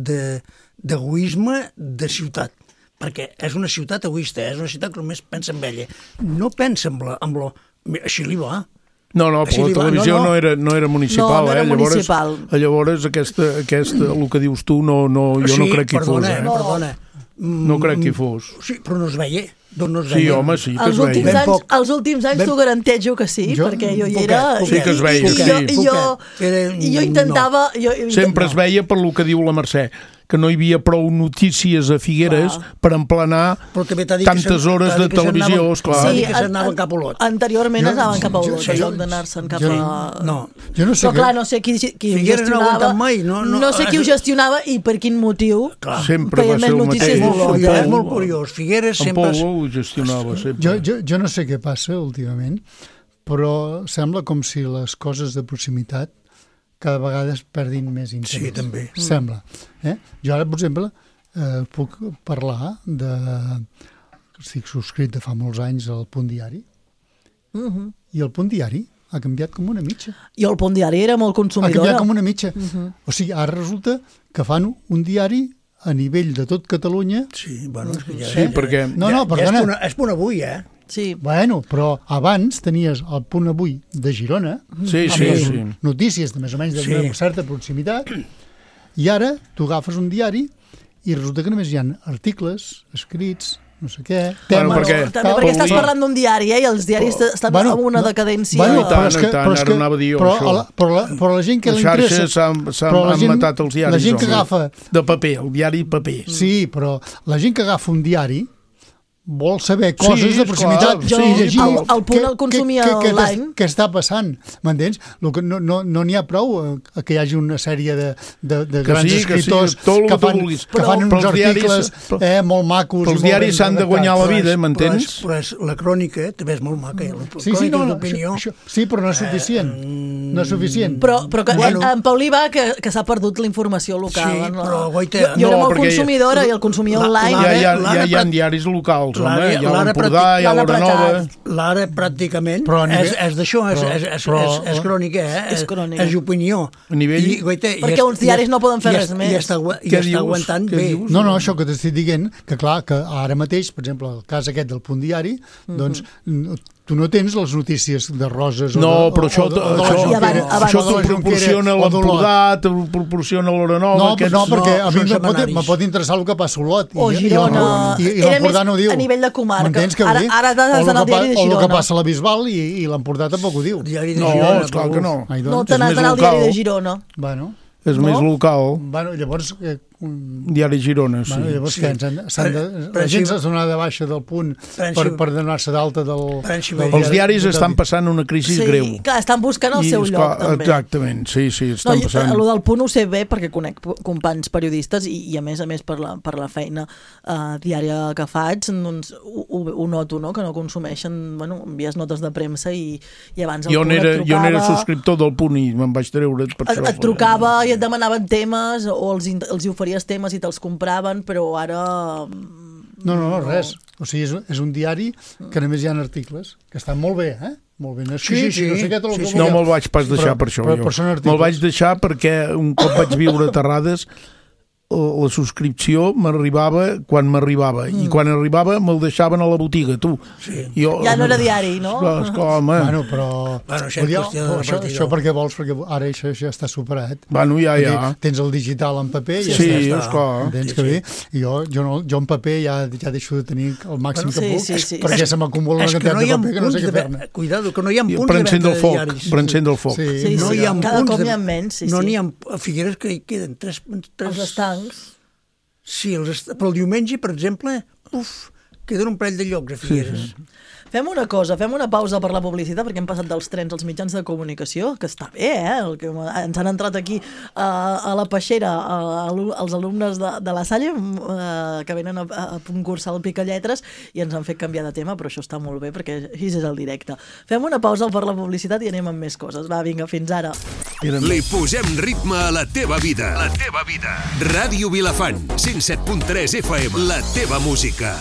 de, de, de, de ciutat, perquè és una ciutat egoista, és una ciutat que només pensa en ella, no pensa en la, en lo... Així li va. No, no, però la televisió no, no. No, era, no era municipal, no, no era eh? municipal. Llavors, llavors aquesta, aquesta, el que dius tu, no, no, jo sí, no crec que hi fos. Eh? No, perdona. No crec que hi fos. Sí, però no es veia. No es sí, veia. home, sí que els es veia. Últims anys, els últims anys ben... t'ho garanteixo que sí, jo, perquè jo hi era... Poquet, sí que es veia, i, sí. I jo, jo, jo intentava... No. Jo, jo Sempre no. es veia per lo que diu la Mercè, que no hi havia prou notícies a Figueres clar. Per emplenar tantes hores de televisió, esclar. Sí, que s'anaven cap a Olot. Anteriorment jo, anaven cap a Olot, en lloc d'anar-se'n cap jo, a... No, jo no sé però clar, no sé qui, qui Figueres gestionava... no mai, no, no, no sé qui ho gestionava i per quin motiu sempre va ser el mateix. És molt curiós. Figueres sempre... En Pou ho gestionava sempre. Jo, jo, jo no sé què passa últimament, però sembla com si les coses de proximitat cada vegada es perdin més interès. Sí, també. Sembla. Eh? Jo ara, per exemple, eh, puc parlar de... Estic subscrit de fa molts anys al Punt Diari, uh-huh. i el Punt Diari ha canviat com una mitja. I el Punt Diari era molt consumidora. Ha canviat com una mitja. Uh-huh. O sigui, ara resulta que fan un diari a nivell de tot Catalunya. Sí, bueno, és que ja... Sí, perquè... No, no, perdona. Ja és punt avui, eh? Sí. Bueno, però abans tenies el Punt Avui de Girona, sí, amb sí, les sí. notícies de més o menys de sí. una certa proximitat, i ara tu agafes un diari i resulta que només hi ha articles escrits no sé què, Bueno, temes... perquè- També Tal, perquè estàs avui- parlant d'un diari, eh? I els diaris Però- estan Bueno, en una no, decadència... bueno, I tant, però és que, i tant, però és ara que, anava a dir jo, però, això. a la, però, la, però la gent que Les li interessa... xarxes s'han s'han- però la han gent- matat els diaris. La gent que home. agafa... De paper, el diari paper. Sí, però la gent que agafa un diari vol saber coses Sí, de proximitat. clar, Jo, sí, llegir el- el punt què- el consumia què- què- què online. t'es- Què està passant, m'entens? Lo que No n'hi no, no ha prou eh, que hi hagi una sèrie de, de, de Que grans sí, que sí, escriptors tot el que que tu fan, vulguis. que fan Però uns els diaris- articles però- eh, molt macos. però els i molt diaris ben s'han de redactats. guanyar la Però és- vida, m'entens? Però, és, però és, la crònica també és molt maca, eh? La Sí, sí, crònica no, no, d'opinió. això, això, sí, però no és suficient. No és suficient. Però, però que, Bueno. bueno. en Paulí va que, que s'ha perdut la informació local. Sí, no? però, guaita, jo, jo era no, molt perquè- consumidora i el consumia La- online. Ja, L'ara- ja, ja, l'ara hi ha pràct- diaris locals, home. l'ara- Hi ha l'ara l'Empordà, pràctic- hi ha l'ara l'Hora Nova... L'ara pràcticament Però a nivell- és, és d'això, és, però- és, és, però- és, és crònica, eh? És crònica. És opinió. A nivell- I, guaita, i Perquè est- uns diaris i est- no poden fer i res est- més. I està, agua- i Què està dius? aguantant Què bé. dius? No, no, això que t'estic dient, que clar, que ara mateix, per exemple, el cas aquest del Punt Diari, doncs n- tu no tens les notícies de Roses o No, de, però o, això, o de, o de la això, I abans- Jonquera, abans- això o de t'ho la Jonquera, proporciona o d'Olot. l'Empordà, t'ho proporciona l'Hora Nova... No, aquests- no, perquè no, a mi són me pot, setmanaris. me pot interessar el que passa a Olot. O i- Girona. I, i, i Era l'Empordà més no ho diu. a nivell de comarca. M'entens què Ara- vull dir? ara t'has O el d'anar al que diari de pa- O el que Girona. passa a la Bisbal i, i l'Empordà tampoc ho diu. El diari de No, Girona, esclar però- que no. Ai, No doncs, te n'has més d'anar al diari local. de Girona. bueno, És No? més local, bueno, llavors... Eh, un, diari Girona, sí. bueno, llavors Sí. què, ens han- s'han de, Per- per la gent si- s'ha de donar de baixa del Punt per per, si- per donar-se d'alta del, per si- del Els diaris de- estan passant una crisi Sí, greu. clar, estan buscant el I, seu esclar, lloc, també. Exactament, sí, sí, No, estan jo, passant... el del Punt ho sé bé perquè conec companys periodistes i, i a més a més per la, per la feina uh, diària que faig doncs ho, ho, ho noto, no? Que no consumeixen, bueno, envies notes de premsa i, i abans el Jo Punt n'era et jo n'era trucava, subscriptor del Punt i me'n vaig treure per et, això. et trucava i et demanaven temes o els, in- els hi oferia temes i te'ls compraven, però ara... No, no, no, res. O sigui, és, és un diari que només hi ha articles, que estan molt bé, eh? Molt ben escrits, sí, no sé què, tot el sí, que sí. No vulgueu. me'l vaig pas deixar Però- per això, però- jo. però són articles. Me'l vaig deixar perquè un cop vaig viure a Terrades la subscripció m'arribava quan m'arribava mm. i quan arribava me'l deixaven a la botiga, tu. Sí. Jo, Ja no era diari, no? Esclar, esclar, home. Bueno, però... Bueno, això és Podria- qüestió de però això, repartidor. això perquè vols, perquè ara això, això ja està superat. Bueno, ja, Perquè ja. Tens el digital en paper i ja Sí, està. esclar. Entens Sí, que sí. bé? I jo, jo, no, jo en paper ja, ja deixo de tenir el màxim Bueno, que sí, puc, sí, sí. perquè se m'acumula una És que quantitat no hi de ha paper que no punts sé què de fer-ne. ve- Cuidado, que no hi ha I punts per de encendre venda el de foc, diaris. per encendre el foc. Sí. Sí, no sí, hi ha cada punts cop de- n'hi ha menys, sí, no sí. n'hi ha... A Figueres que hi queden tres... tres... Els estancs. Sí, els est... però el diumenge, per exemple, uf, queden un parell de llocs a Figueres. Sí, sí. Fem una cosa, fem una pausa per la publicitat perquè hem passat dels trens als mitjans de comunicació, que està bé, eh? El que ens han entrat aquí uh, a la peixera uh, els alumnes de, de la Salle uh, que venen a, a concursar al Picalletres i ens han fet canviar de tema, però això està molt bé perquè així és el directe. Fem una pausa per la publicitat i anem amb més coses. Va, vinga, fins ara. Li posem ritme a la teva vida. La teva vida. Ràdio Vilafant, cent set punt tres F M. La teva música.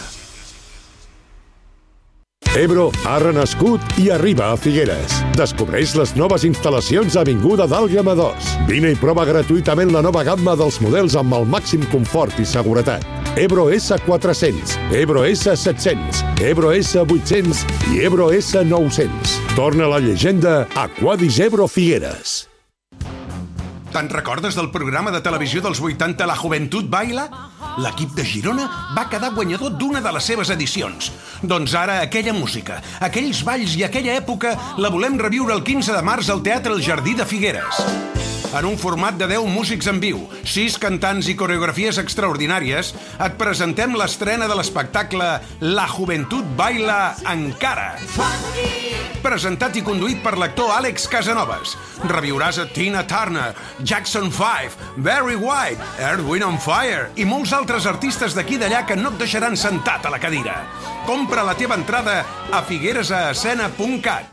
Ebro ha renascut i arriba a Figueres. Descobreix les noves instal·lacions a Avinguda d'Àlgama dos. Vine i prova gratuïtament la nova gamma dels models amb el màxim confort i seguretat. Ebro S quatre-cents, Ebro S set-cents, Ebro S vuit-cents i Ebro S nou-cents. Torna la llegenda Aquadis Ebro Figueres. Te'n recordes del programa de televisió dels vuitanta La Joventut Baila? L'equip de Girona va quedar guanyador d'una de les seves edicions. Doncs ara aquella música, aquells balls i aquella època la volem reviure el quinze de març al Teatre El Jardí de Figueres. En un format de deu músics en viu, sis cantants i coreografies extraordinàries, et presentem l'estrena de l'espectacle La Joventut Baila Encara. Presentat i conduït per l'actor Àlex Casanovas. Reviuràs a Tina Turner, Jackson five, Barry White, Earth, Wind and Fire i molts altres artistes d'aquí i d'allà que no et deixaran sentat a la cadira. Compra la teva entrada a figueresescena punt cat.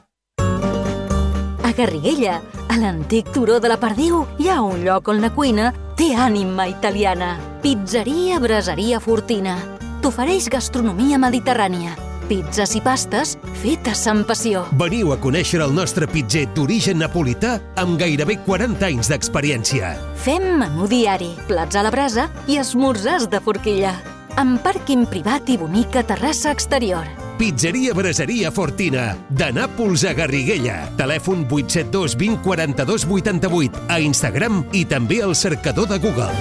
A Garriguella, a l'antic turó de la Perdiu, hi ha un lloc on la cuina té ànima italiana. Pizzeria Braseria Fortina. T'ofereix gastronomia mediterrània. Pizzas i pastes fetes amb passió. Veniu a conèixer el nostre pitzer d'origen napolità amb gairebé quaranta anys d'experiència. Fem menú diari, plats a la brasa i esmorzars de forquilla. Amb pàrquing privat i bonica terrassa exterior. Pizzeria Braseria Fortina, de Nàpols a Garriguella. Telèfon vuit set dos vint quaranta-dos vuitanta-vuit, a Instagram i també al cercador de Google.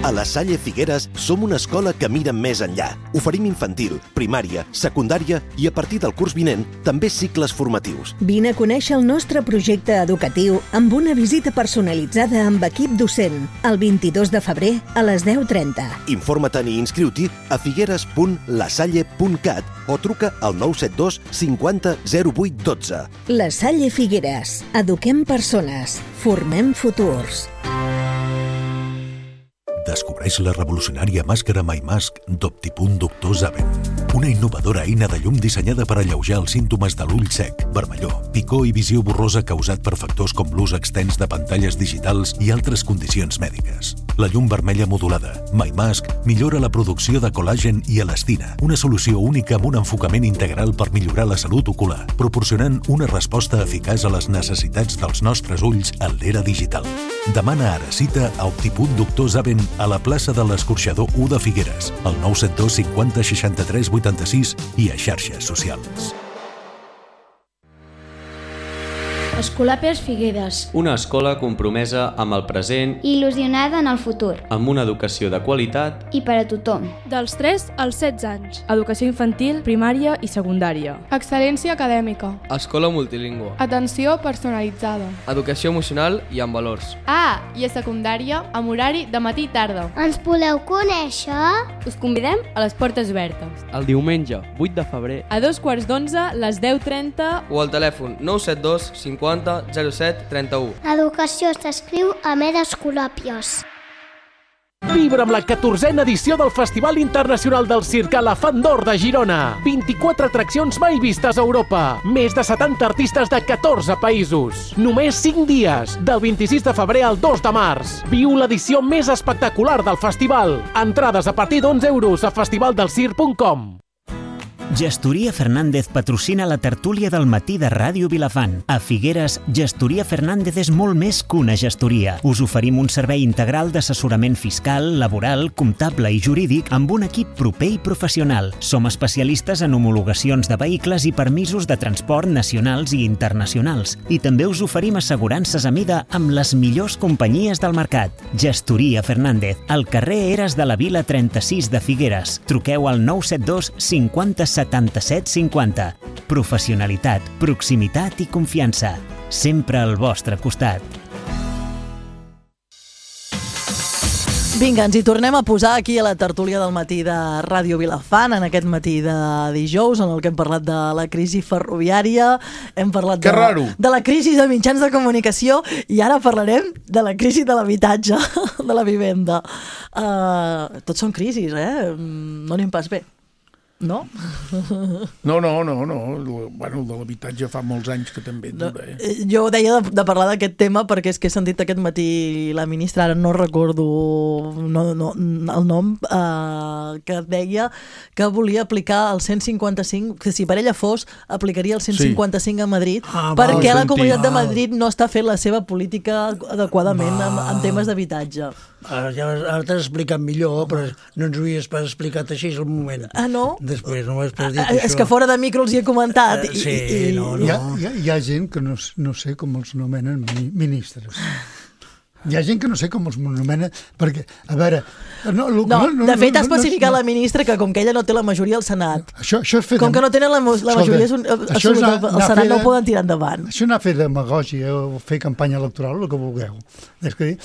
A la Salle Figueres som una escola que mira més enllà. Oferim infantil, primària, secundària i a partir del curs vinent també cicles formatius. Vine a conèixer el nostre projecte educatiu amb una visita personalitzada amb equip docent el vint-i-dos de febrer a les deu trenta. Informa't-hi i inscriu-t'hi a figueres punt la salle punt cat o truca al nou set dos cinquanta zero vuit dotze. La Salle Figueres. Eduquem persones. Formem futurs. Descobreix la revolucionària màscara MyMask d'Optipunt Doctor Zaven. Una innovadora eina de llum dissenyada per alleujar els símptomes de l'ull sec, vermellor, picor i visió borrosa causat per factors com l'ús extens de pantalles digitals i altres condicions mèdiques. La llum vermella modulada, MyMask, millora la producció de col·làgen i elastina, una solució única amb un enfocament integral per millorar la salut ocular, proporcionant una resposta eficaç a les necessitats dels nostres ulls en l'era digital. Demana ara cita a Optipunt Doctor Zaven a la plaça de l'Escorxador u de Figueres, al nou set dos cinquanta seixanta-tres vuitanta-sis i a xarxes socials. Escolapes Figueres. Una escola compromesa amb el present i il·lusionada en el futur. Amb una educació de qualitat i per a tothom. Dels tres als setze anys. Educació infantil, primària i secundària. Excel·lència acadèmica. Escola multilingüe. Atenció personalitzada. Educació emocional i amb valors. Ah, i a secundària, amb horari de matí i tarda. Ens voleu conèixer? Us convidem a les portes obertes. El diumenge, vuit de febrer. A dos quarts d'onze, les deu trenta. O al telèfon nou set dos cinquanta zero set trenta-u. Educació s'escriu a Med Escolàpies. Vibra amb la catorzena edició del Festival Internacional del Circ Elefant d'Or de Girona. vint-i-quatre atraccions mai vistes a Europa. Més de setanta artistes de catorze països. Només cinc dies, del vint-i-sis de febrer al dos de març. Viu l'edició més espectacular del festival. Entrades a partir d'onze euros a festivaldelscirc punt com. Gestoria Fernández patrocina la tertúlia del matí de Ràdio Vilafant. A Figueres, Gestoria Fernández és molt més que una gestoria. Us oferim un servei integral d'assessorament fiscal, laboral, comptable i jurídic amb un equip proper i professional. Som especialistes en homologacions de vehicles i permisos de transport nacionals i internacionals. I també us oferim assegurances a mida amb les millors companyies del mercat. Gestoria Fernández, al carrer Eres de la Vila trenta-sis de Figueres. Truqueu al nou set dos cinquanta setanta-set cinquanta. Professionalitat, proximitat i confiança. Sempre al vostre costat. Vinga, ens hi tornem a posar aquí a la tertúlia del matí de Ràdio Vilafant, en aquest matí de dijous, en el que hem parlat de la crisi ferroviària, hem parlat de, de la crisi de mitjans de comunicació i ara parlarem de la crisi de l'habitatge, de la vivenda. Uh, tots són crisis, eh? No anem pas bé. No? No, no, no, no. Bueno, el de l'habitatge fa molts anys que també dura. Eh? Jo deia de, de parlar d'aquest tema perquè és que he sentit aquest matí la ministra, ara no recordo no, no, el nom, eh, que deia que volia aplicar el cent cinquanta-cinc, que si per ella fos, aplicaria el cent cinquanta-cinc a Madrid, ah, perquè la Comunitat de Madrid no està fent la seva política adequadament en, en temes d'habitatge. Ara, ja, ara t'has explicat millor, però no ens ho havies pas explicat així al moment. Ah, no? Després no ho has pas dit, ah, això. És que fora de micro els hi he comentat. Uh, sí, i, i... no, no. Hi ha, hi, ha, hi ha gent que no, no sé com els nomenen ministres. Hi ha gent que no sé com els nomena, perquè, a veure... No, no, no, no, de fet, no, ha especificat no, no, la ministra que com que ella no té la majoria al Senat, això, això és com que no tenen la, la majoria absoluta al Senat, no ho poden tirar endavant. Això anar a fer demagògia o fer campanya electoral, el que vulgueu. És que,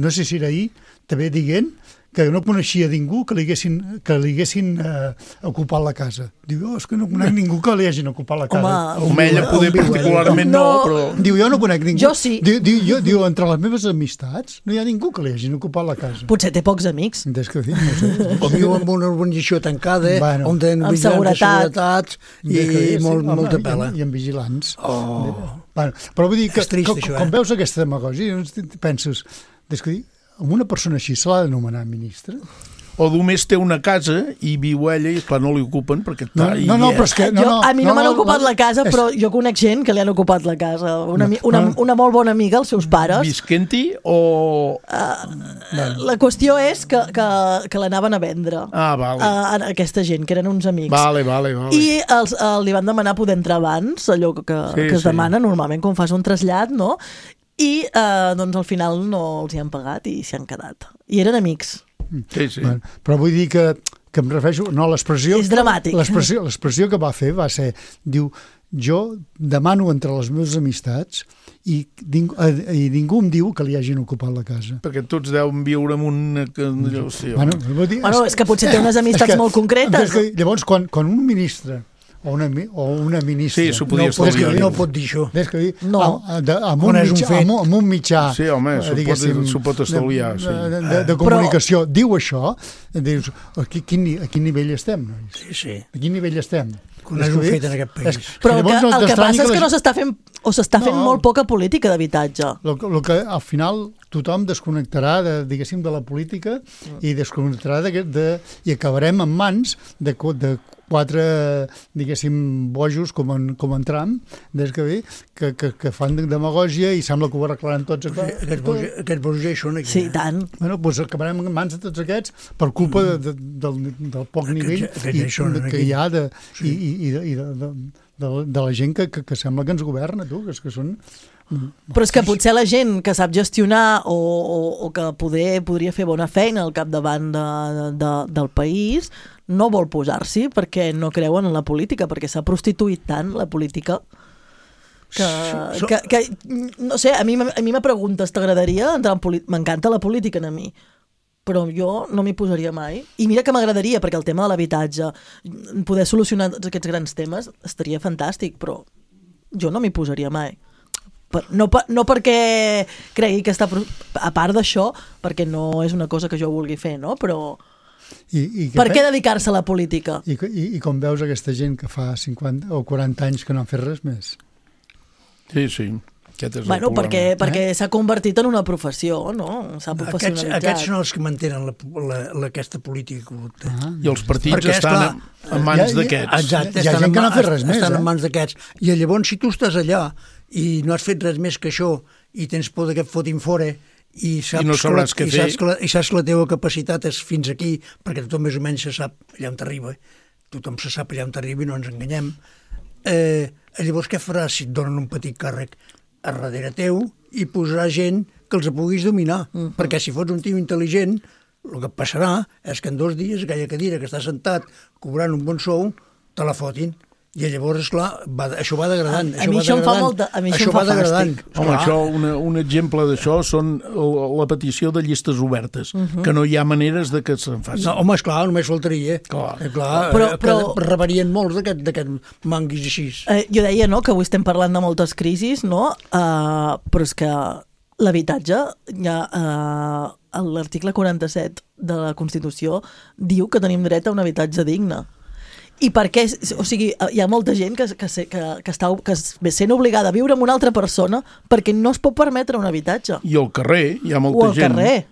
no sé si era ahir, també dient que no coneixia ningú que li haguessin, que li haguessin eh, ocupat la casa. Diu, oh, és que no conec ningú que li hagin ocupat la casa. Home, Home ella poder particularment no, no, però... Diu, jo no conec ningú. Jo sí. Diu, diu, jo, diu, entre les meves amistats no hi ha ningú que li hagin ocupat la casa. Potser té pocs amics. Des que dic, no sé. O viu en una urbanització tancada, bueno, on tenen amb seguretat. seguretats i, i molt, sí, molta pela. I, i amb vigilants. Oh. Bueno, però vull dir que, trist, que això, quan eh? veus aquesta demagògia, penses, des que dic, amb una persona així se l'ha de nomenar ministre? O només té una casa i viu ella i clar, no li ocupen perquè està... No, no, no, però és que... No, jo, no, a mi no, no m'han ocupat la, la casa, però és... jo conec gent que li han ocupat la casa. Una, no, una, no. una molt bona amiga, els seus pares. Visquent-hi o... Uh, no. La qüestió és que, que, que l'anaven a vendre. Ah, vale. A, a aquesta gent, que eren uns amics. Vale, vale, vale. I els, uh, li van demanar poder entrar abans, allò que, sí, que es sí. demana normalment quan fas un trasllat, no? i eh, doncs al final no els hi han pagat i s'hi han quedat. I eren amics. Sí, sí. Bueno, però vull dir que, que em refereixo... No, l'expressió... És dramàtic. L'expressió, l'expressió que va fer va ser... Diu, jo demano entre les meves amistats i, ningú, i ningú em diu que li hagin ocupat la casa. Perquè tots deuen viure en una... No sé, bueno, vull dir, bueno, és que potser té unes amistats que, molt concretes. Que, llavors, quan, quan un ministre o una, o una ministra... Sí, s'ho podia no, pot, que, no pot dir això. Des que dir, no. amb, amb, un mitjà, un amb, amb un mitjà... Sí, home, s'ho pot, pot estalviar. De, sí. de, de, de comunicació. Però... Diu això, dius, a quin, a quin nivell estem, nois? Sí, sí. A quin nivell estem? Coneix un fet en aquest país. És, però que, no el que passa que és que no s'està fent, o s'està fent no. molt poca política d'habitatge. El, el que al final tothom desconnectarà de, diguéssim, de la política i desconnectarà de, de, i acabarem en mans de, de quatre, diguéssim, bojos com en, com en Trump, des que, bé, que, que, que fan demagògia i sembla que ho arreglaran tots. Aquests bojos, aquests bojos ja hi són aquí. Sí, tant. Bueno, doncs acabarem en mans de tots aquests per culpa de, de, del, del poc nivell aquests, aquests ja i, que hi ha de, sí. i, i, i de, i de, de, de, de la gent que, que, que sembla que ens governa, tu, que, és que són... Però és que potser la gent que sap gestionar o, o, o que poder, podria fer bona feina al capdavant de, de, del país no vol posar-s'hi perquè no creuen en la política, perquè s'ha prostituït tant la política que, so, que, que no sé, a mi, a mi me preguntes, t'agradaria entrar en política? M'encanta la política a mi, però jo no m'hi posaria mai. I mira que m'agradaria, perquè el tema de l'habitatge, poder solucionar tots aquests grans temes estaria fantàstic, però jo no m'hi posaria mai. No, no perquè cregui que està... A part d'això, perquè no és una cosa que jo vulgui fer, no? Però... I, i per què dedicar-se a la política? I, i, I com veus aquesta gent que fa cinquanta o quaranta anys que no han fet res més? Sí, sí. Aquest és bueno, el perquè, eh? perquè s'ha convertit en una professió, no? S'ha professionalitzat. Aquests, aquests són els que mantenen la, la, la, aquesta política corrupta. Ah, I els partits perquè, estan esclar, en mans d'aquests. Exacte, hi ha gent que no ha fet res més. Estan eh? en mans d'aquests. I llavors, si tu estàs allà i no has fet res més que això i tens por que et fotin fora i saps, I no sabràs que, què i fer. saps que, la, i saps que la teva capacitat és fins aquí, perquè tothom més o menys se sap allà on t'arriba, tothom se sap allà on t'arriba i no ens enganyem, eh, llavors què faràs si et donen un petit càrrec a darrere teu i posarà gent que els puguis dominar, uh -huh. perquè si fots un tio intel·ligent, el que passarà és que en dos dies aquella cadira que està sentat cobrant un bon sou, te la fotin. I llavors, esclar, va, això va degradant. A, a mi això em fa molt... A mi això, això em fa fàstic. Home, això, una, un exemple d'això són la petició de llistes obertes, uh -huh. que no hi ha maneres de que se'n facin. No, home, esclar, només faltaria. Clar. Eh, clar però, però... rebarien molts d'aquests manguis així. Eh, jo deia, no?, que avui estem parlant de moltes crisis, no?, uh, però és que l'habitatge, ja, uh, l'article quaranta-set de la Constitució diu que tenim dret a un habitatge digne. I per què? O sigui, hi ha molta gent que, que, que, que està que ve sent obligada a viure amb una altra persona perquè no es pot permetre un habitatge. I al carrer, hi ha molta o al gent carrer.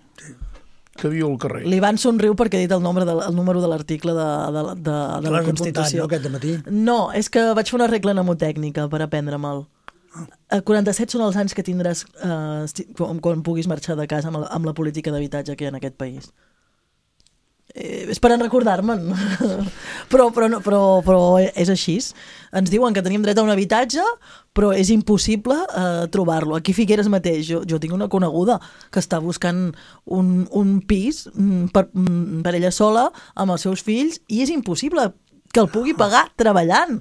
que viu al carrer. L'Ivan somriu perquè ha dit el, nombre de, el número de l'article de, de, de, de la Constitució. No, aquest matí? No, és que vaig fer una regla mnemotècnica per aprendre-me'l. quaranta-set són els anys que tindràs eh, quan, quan puguis marxar de casa amb la, amb la política d'habitatge que hi ha en aquest país. Eh, és per recordar-me'n però, però, no, però, però és així. Ens diuen que tenim dret a un habitatge, però és impossible eh, trobar-lo. Aquí a Figueres mateix, jo, jo tinc una coneguda que està buscant un, un pis per, per ella sola amb els seus fills i és impossible que el pugui pagar treballant.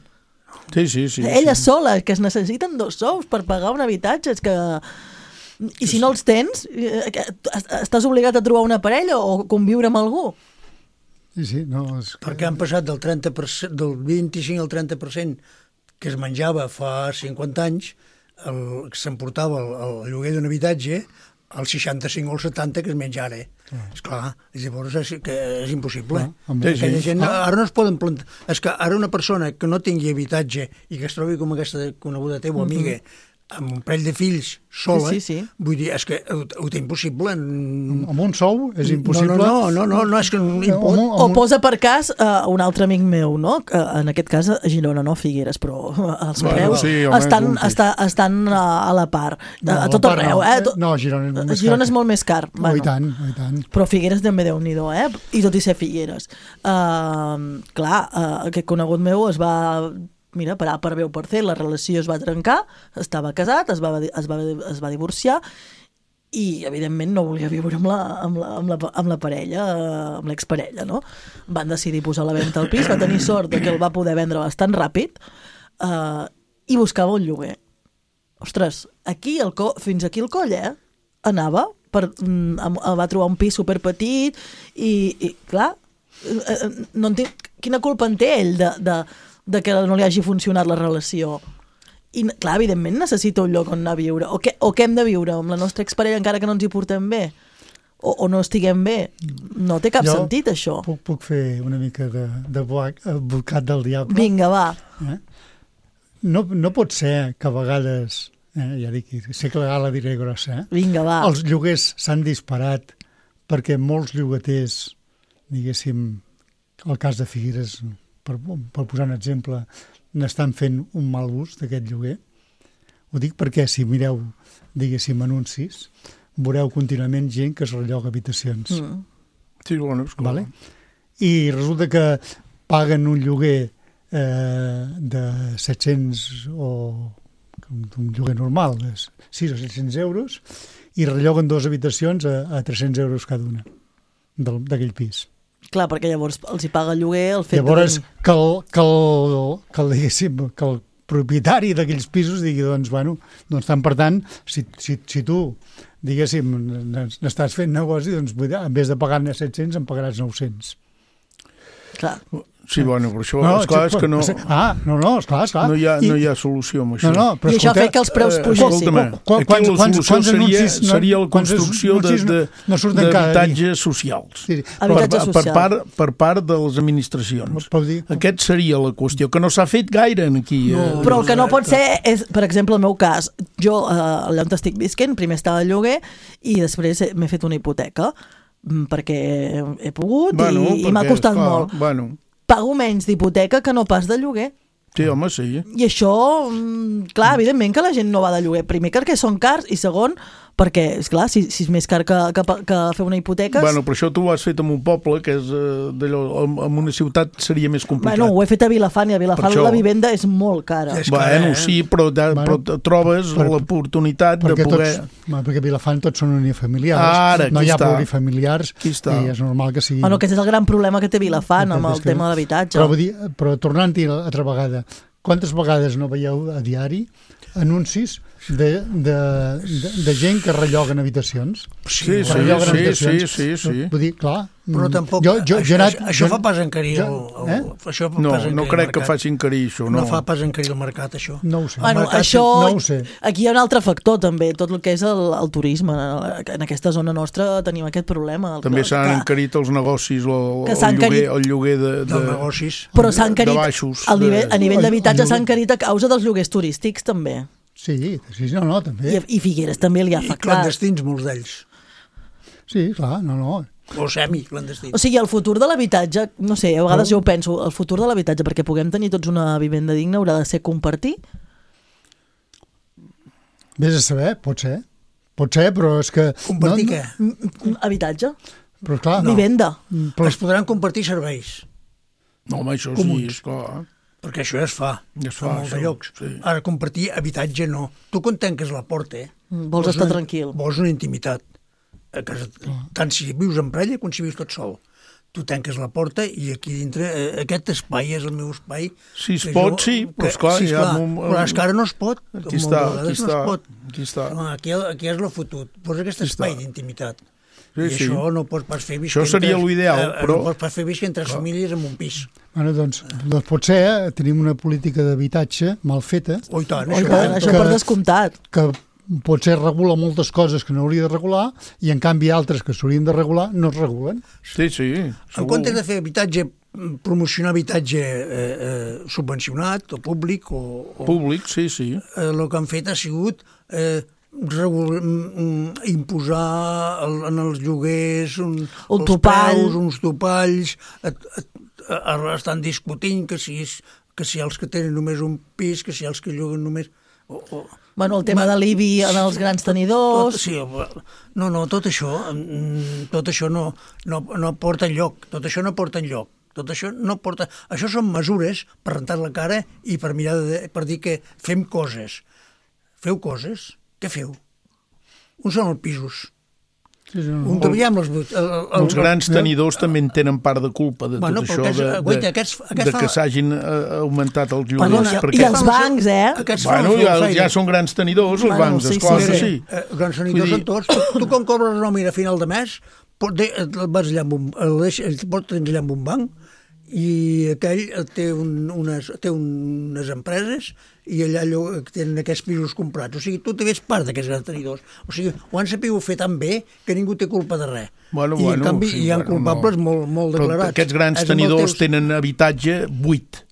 Sí, sí, sí. Ella sí. sola, que es necessiten dos sous per pagar un habitatge, és que... I si no els tens, estàs obligat a trobar una parella o conviure amb algú. Sí, sí, no, és que... Perquè han passat del, trenta per cent, del vint-i-cinc al trenta per cent que es menjava fa cinquanta anys, el, que s'emportava el, el lloguer d'un habitatge, al seixanta-cinc o al setanta que es menja ara. Ah. Esclar, llavors és, que és impossible. Ah, sí, sí. Gent, ara no es poden plantar... És que ara una persona que no tingui habitatge i que es trobi com aquesta coneguda teva amiga, mm-hmm. amb un parell de fills sola, sí, sí, sí. vull dir, és que ho, ho té impossible. Amb un sou és impossible. No, no, no, no, no és que... No, o, o posa per cas uh, un altre amic meu, no? Que, en aquest cas a Girona, no a Figueres, però els bueno, preus sí, estan, home, està, estan a, a la part. No, a, a tot arreu, no. eh? No, Girona és molt més Girona car. és molt més car. Oh, Bueno, i tant, i tant. però Figueres també Déu-n'hi-do, eh? I tot i ser Figueres. Uh, clar, uh, aquest conegut meu es va mira, per A per B o per C, la relació es va trencar, estava casat, es va, es va, es va divorciar, i evidentment no volia viure amb la, amb la, amb la, amb la parella, amb l'exparella, no? Van decidir posar a la venda el pis, va tenir sort de que el va poder vendre bastant ràpid, eh, i buscava un lloguer. Ostres, aquí el co fins aquí el coll, eh? Anava, per, va trobar un pis superpetit i, i clar, no entenc, quina culpa en té ell de, de, de que no li hagi funcionat la relació? I, clar, evidentment necessita un lloc on anar a viure. O què, o què hem de viure? Amb la nostra exparella encara que no ens hi portem bé? O, o no estiguem bé? No té cap jo sentit, això. Puc, puc fer una mica de, de advocat del diable? Vinga, va. Eh? No, no pot ser que a vegades, eh, ja dic, sé que la gala diré grossa, eh? Vinga, va. Els lloguers s'han disparat perquè molts llogaters, diguéssim, el cas de Figueres, per, per posar un exemple, n'estan fent un mal ús d'aquest lloguer. Ho dic perquè si mireu, diguéssim, anuncis, veureu contínuament gent que es relloga habitacions. Mm. Sí, bueno, és clar. Vale? I resulta que paguen un lloguer eh, de set-cents o un lloguer normal, de sis o set-cents euros, i relloguen dues habitacions a, a tres-cents euros cada una d'aquell pis. Clar, perquè llavors els hi paga el lloguer el fet llavors, de... que el, que el, que el, diguéssim, que el propietari d'aquells pisos digui, doncs, bueno, doncs tant per tant, si, si, si tu, diguéssim, n'estàs fent negoci, doncs, en vez de pagar-ne set-cents, en pagaràs nou-cents. Clar. Sí, bueno, però això, no, esclar, és que no... Ah, no, no, esclar, esclar. No hi ha, I, no hi ha solució amb això. No, no, però I això fa que els preus eh, pugessin. Escolta'm, aquí la solució seria, seria la construcció d'habitatges socials. Sí, habitatges per, socials. Per part, per part de les administracions. Aquest seria la qüestió, que no s'ha fet gaire aquí. No, eh, però el que no pot ser és, per exemple, el meu cas, jo eh, allà on estic visquent, primer estava al lloguer i després m'he fet una hipoteca perquè he pogut bueno, i, i m'ha costat clar, molt. Bueno. Pago menys d'hipoteca que no pas de lloguer. Sí, home, sí. I això, clar, evidentment que la gent no va de lloguer. Primer perquè són cars i segon perquè, esclar, si, si és més car que, que, que fer una hipoteca... Bueno, però això tu ho has fet en un poble, que és d'allò, en una ciutat seria més complicat. Bueno, ho he fet a Vilafant, i a Vilafant la vivenda és molt cara. És bueno, sí, però, de, bueno, però trobes per, l'oportunitat de poder... Tots, perquè a Vilafant tots són unifamiliars, Ara, no hi ha està. plurifamiliars, i és normal que sigui... Bueno, aquest és el gran problema que té Vilafant amb el tema de l'habitatge. Però, dir, però tornant-hi altra vegada, quantes vegades no veieu a diari anuncis de, de, de, de gent que relloguen habitacions? Sí, sí, sí, sí, sí, sí. Vull dir, clar... Però tampoc... Jo, jo, això, anat, això jo, fa pas encarir el... jo, eh? Això fa no, pas no crec que faci encarir això, no. No fa pas encarir el mercat, això. No ho sé. Bueno, mercat, això, no ho sé. Aquí hi ha un altre factor, també, tot el que és el, el turisme. En aquesta zona nostra tenim aquest problema. També s'han encarit els negocis, o, el, lloguer, encarit... el lloguer de, de, de negocis. Però s'ha encarit, de baixos. El nivell, a nivell d'habitatge s'ha lloguer... encarit a causa dels lloguers turístics, també. Sí, sí, no, no, també. I, i Figueres també li ha afectat. I clandestins, molts d'ells. Sí, clar, no, no. O semi-clandestins. O sigui, el futur de l'habitatge, no sé, a vegades no. jo ho penso, el futur de l'habitatge, perquè puguem tenir tots una vivenda digna, haurà de ser compartir? Vés a saber, pot ser. Pot ser, però és que... Compartir no, què? No, habitatge. Però clar... No. Vivenda. Però es podran compartir serveis. No, home, això comuns. Sí, és clar. Perquè això ja es fa, ja es fa a molts això, llocs. Sí. Ara, compartir habitatge no. Tu quan tanques la porta, eh? Mm, vols, vols estar una, tranquil. Vols una intimitat. A casa, tant si vius en parella com si vius tot sol. Tu tanques la porta i aquí dintre, eh, aquest espai és el meu espai. Si es pot, jo, sí, però esclar... Sí, esclar, ja, un, però és que ara no es pot. Aquí està, aquí no està. Es pot. Aquí està. No, aquí, aquí és el fotut. Posa aquest aquí espai d'intimitat. Sí, I sí. això no pots pas fer visc això seria l'ideal, eh, però... No pots pas fer visc entre clar. Famílies en un pis. Bueno, doncs, doncs potser eh, tenim una política d'habitatge mal feta. Oh, tant, oh, això, tant, això per descomptat. Que potser regula moltes coses que no hauria de regular i en canvi altres que s'haurien de regular no es regulen. Sí, sí. En comptes de fer habitatge, promocionar habitatge eh, eh, subvencionat o públic o... o públic, sí, sí. Eh, el que han fet ha sigut... Eh, Regul... imposar el, en els lloguers un, un els topall. preus, uns topalls, et, et, et, estan discutint que si, és, que si els que tenen només un pis, que si els que lloguen només... O, o... Bueno, el tema de l'I B I en els grans tenidors... Tot, sí, no, no, tot això, tot això no, no, no porta enlloc, tot això no porta enlloc. Tot això no porta... Això són mesures per rentar la cara i per mirar de, per dir que fem coses. Feu coses? Què feu? Uns són els pisos. Sí, sí, no. Un treballem els... El, el, el, els grans tenidors també en tenen part de culpa de bueno, tot això, aquests, de, guaita, de, aquests, aquests de que fan... s'hagin uh, augmentat els lloguers. Perdona, perquè... I els bancs, eh? Bueno, ja, ja són grans tenidors, els bueno, bancs, sí, esclar sí, que sí. sí. Eh, grans tenidors dir... són tots. Tu, tu quan cobres la nòmina a final de mes, vas allà amb un, el, el portes allà amb un banc i aquell té, un, unes, té unes empreses i allà tenen aquests pisos comprats. O sigui, tu també ets part d'aquests grans tenidors. O sigui, ho han sapigut fer tan bé que ningú té culpa de res. Bueno, I, bueno, en canvi, sí, hi ha bueno, culpables no. molt, molt declarats. Però aquests grans tenidors teus... tenen habitatge buit.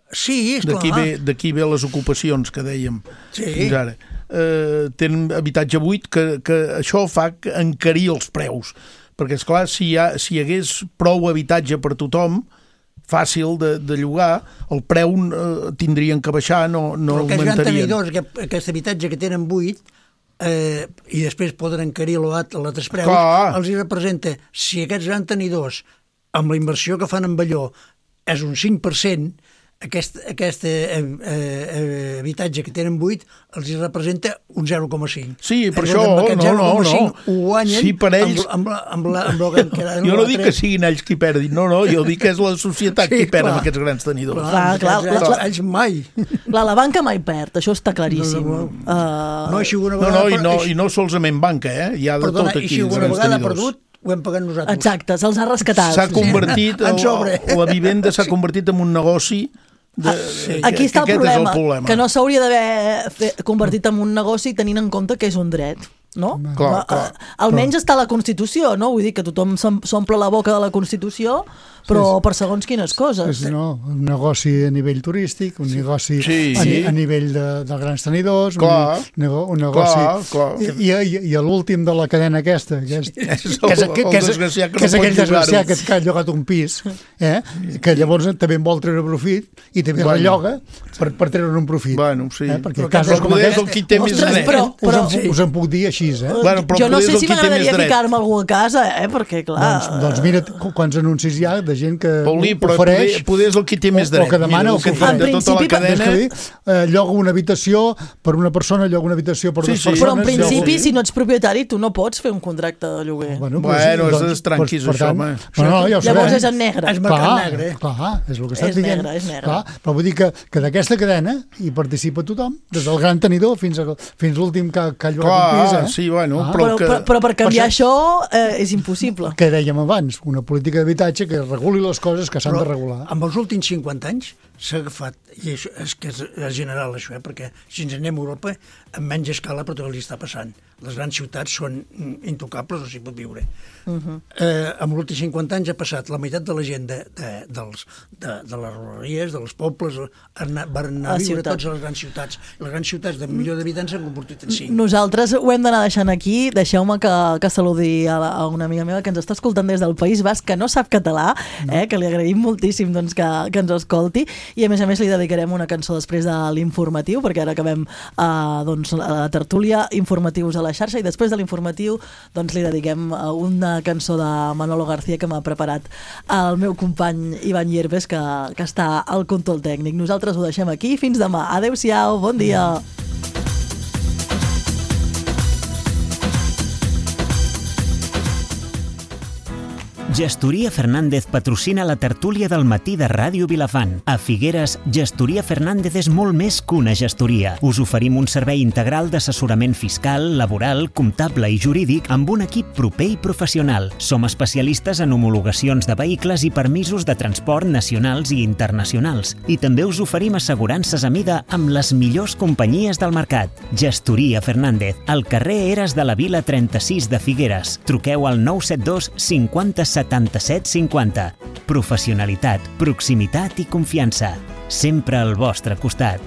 Sí, esclar. D'aquí ve, d'aquí ve les ocupacions que dèiem sí. fins ara. Eh, tenen habitatge buit que, que això fa encarir els preus. Perquè, esclar, si hi, ha, si hi hagués prou habitatge per tothom, fàcil de, de llogar, el preu eh, tindrien que baixar, no, no però augmentarien. Però aquests tenidors, aquest, aquest habitatge que tenen buit, eh, i després poden encarir l'altres preus, clar. Els hi representa, si aquests grans tenidors, amb la inversió que fan amb allò, és un cinc per cent, aquest, aquest eh, eh, habitatge que tenen buit els hi representa un zero coma cinc. Sí, per això, no, no, no. Ho guanyen sí, per ells... amb, amb, amb, la, amb la que queda. Jo no dic que siguin ells qui perdin, no, no, jo dic que és la societat sí, qui perd amb aquests grans tenidors. Clar, clar, clar, clar. Ells mai. Clar, la banca mai perd, això està claríssim. No, no, no. Uh... no, no, no, i no, i no solament banca, eh? Hi ha de Perdona, tot aquí. I si alguna vegada ha perdut, ho hem pagat nosaltres. Exacte, se'ls ha rescatat. S'ha convertit, sí. la vivenda s'ha convertit en un negoci. De, sí. Aquí està el problema, el problema, que no s'hauria d'haver convertit en un negoci tenint en compte que és un dret, no? Clar, clar, almenys clar. està a la Constitució, no? Vull dir que tothom s'omple la boca de la Constitució, però sí, per segons quines coses. És, no, un negoci a nivell turístic, un negoci sí, a, sí. a nivell de, de grans tenidors, clar, un, un negoci... Clar, clar. I, i, i l'últim de la cadena aquesta, que és, sí, és, el, que és, que, que és, que que és no aquell desgraciat que, que ha llogat un pis, eh? Que llavors també en vol treure profit i també bueno. relloga per, per treure un profit. Bueno, sí. Eh? Perquè però casos com aquest... el qui té Ostres, més dret. Però, però, us, en, us en puc dir així, eh? Bueno, jo no sé si m'agradaria ficar-me algú a casa, eh? Perquè, clar... Doncs, doncs mira quants anuncis hi ha de gent que Paulí, però ofereix... Poder, poder és el qui té més dret. O, o que demana, mira, o que fa de tota la cadena... Dir, eh, lloga una habitació per una persona, lloga una habitació per sí, dues sí. persones... Però en principi, lloga... si no ets propietari, tu no pots fer un contracte de lloguer. Bueno, pues, bueno és doncs, tranquis, doncs, això, home. No, no, ja llavors és en negre. És mercat negre. Clar, és el que estàs és dient. Negre, és negre. Clar, però vull dir que, que d'aquesta cadena hi participa tothom, des del gran tenidor fins, a, fins l'últim que, que ha llogat clar, un pis. Eh? Sí, bueno, ah. però, però, que... però, però per canviar per això eh, és impossible. Que dèiem abans, una política d'habitatge que reguli les coses que s'han de regular. Amb els últims cinquanta anys s'ha agafat, i això és que és, és general això, eh? Perquè si ens anem a Europa, en menys escala, però també li està passant. Les grans ciutats són intocables, no s'hi pot viure. Uh -huh. eh, amb els últims cinquanta anys ha passat la meitat de la gent de, de, dels, de, de les ruralies, dels pobles, anar, van anar a, a viure tots a les grans ciutats. Les grans ciutats de milió d'habitants s'han convertit en cinc. Nosaltres ho hem d'anar deixant aquí. Deixeu-me que, que saludi a, la, a una amiga meva que ens està escoltant des del País Basc, que no sap català, no. eh, que li agraïm moltíssim doncs, que, que ens escolti, i a més a més li dedicarem una cançó després de l'informatiu, perquè ara acabem eh, doncs, la tertúlia, informatius a la xarxa, i després de l'informatiu doncs, li dediquem una cançó de Manolo García que m'ha preparat el meu company Ivan Hierbes, que, que està al control tècnic. Nosaltres ho deixem aquí. Fins demà. Adéu-siau. Bon dia. Gestoria Fernández patrocina la tertúlia del matí de Ràdio Vilafant. A Figueres, Gestoria Fernández és molt més que una gestoria. Us oferim un servei integral d'assessorament fiscal, laboral, comptable i jurídic amb un equip proper i professional. Som especialistes en homologacions de vehicles i permisos de transport nacionals i internacionals. I també us oferim assegurances a mida amb les millors companyies del mercat. Gestoria Fernández, al carrer Eres de la Vila trenta-sis de Figueres. Truqueu al nou set dos cinquanta setanta-set cinquanta. Professionalitat, proximitat i confiança. Sempre al vostre costat.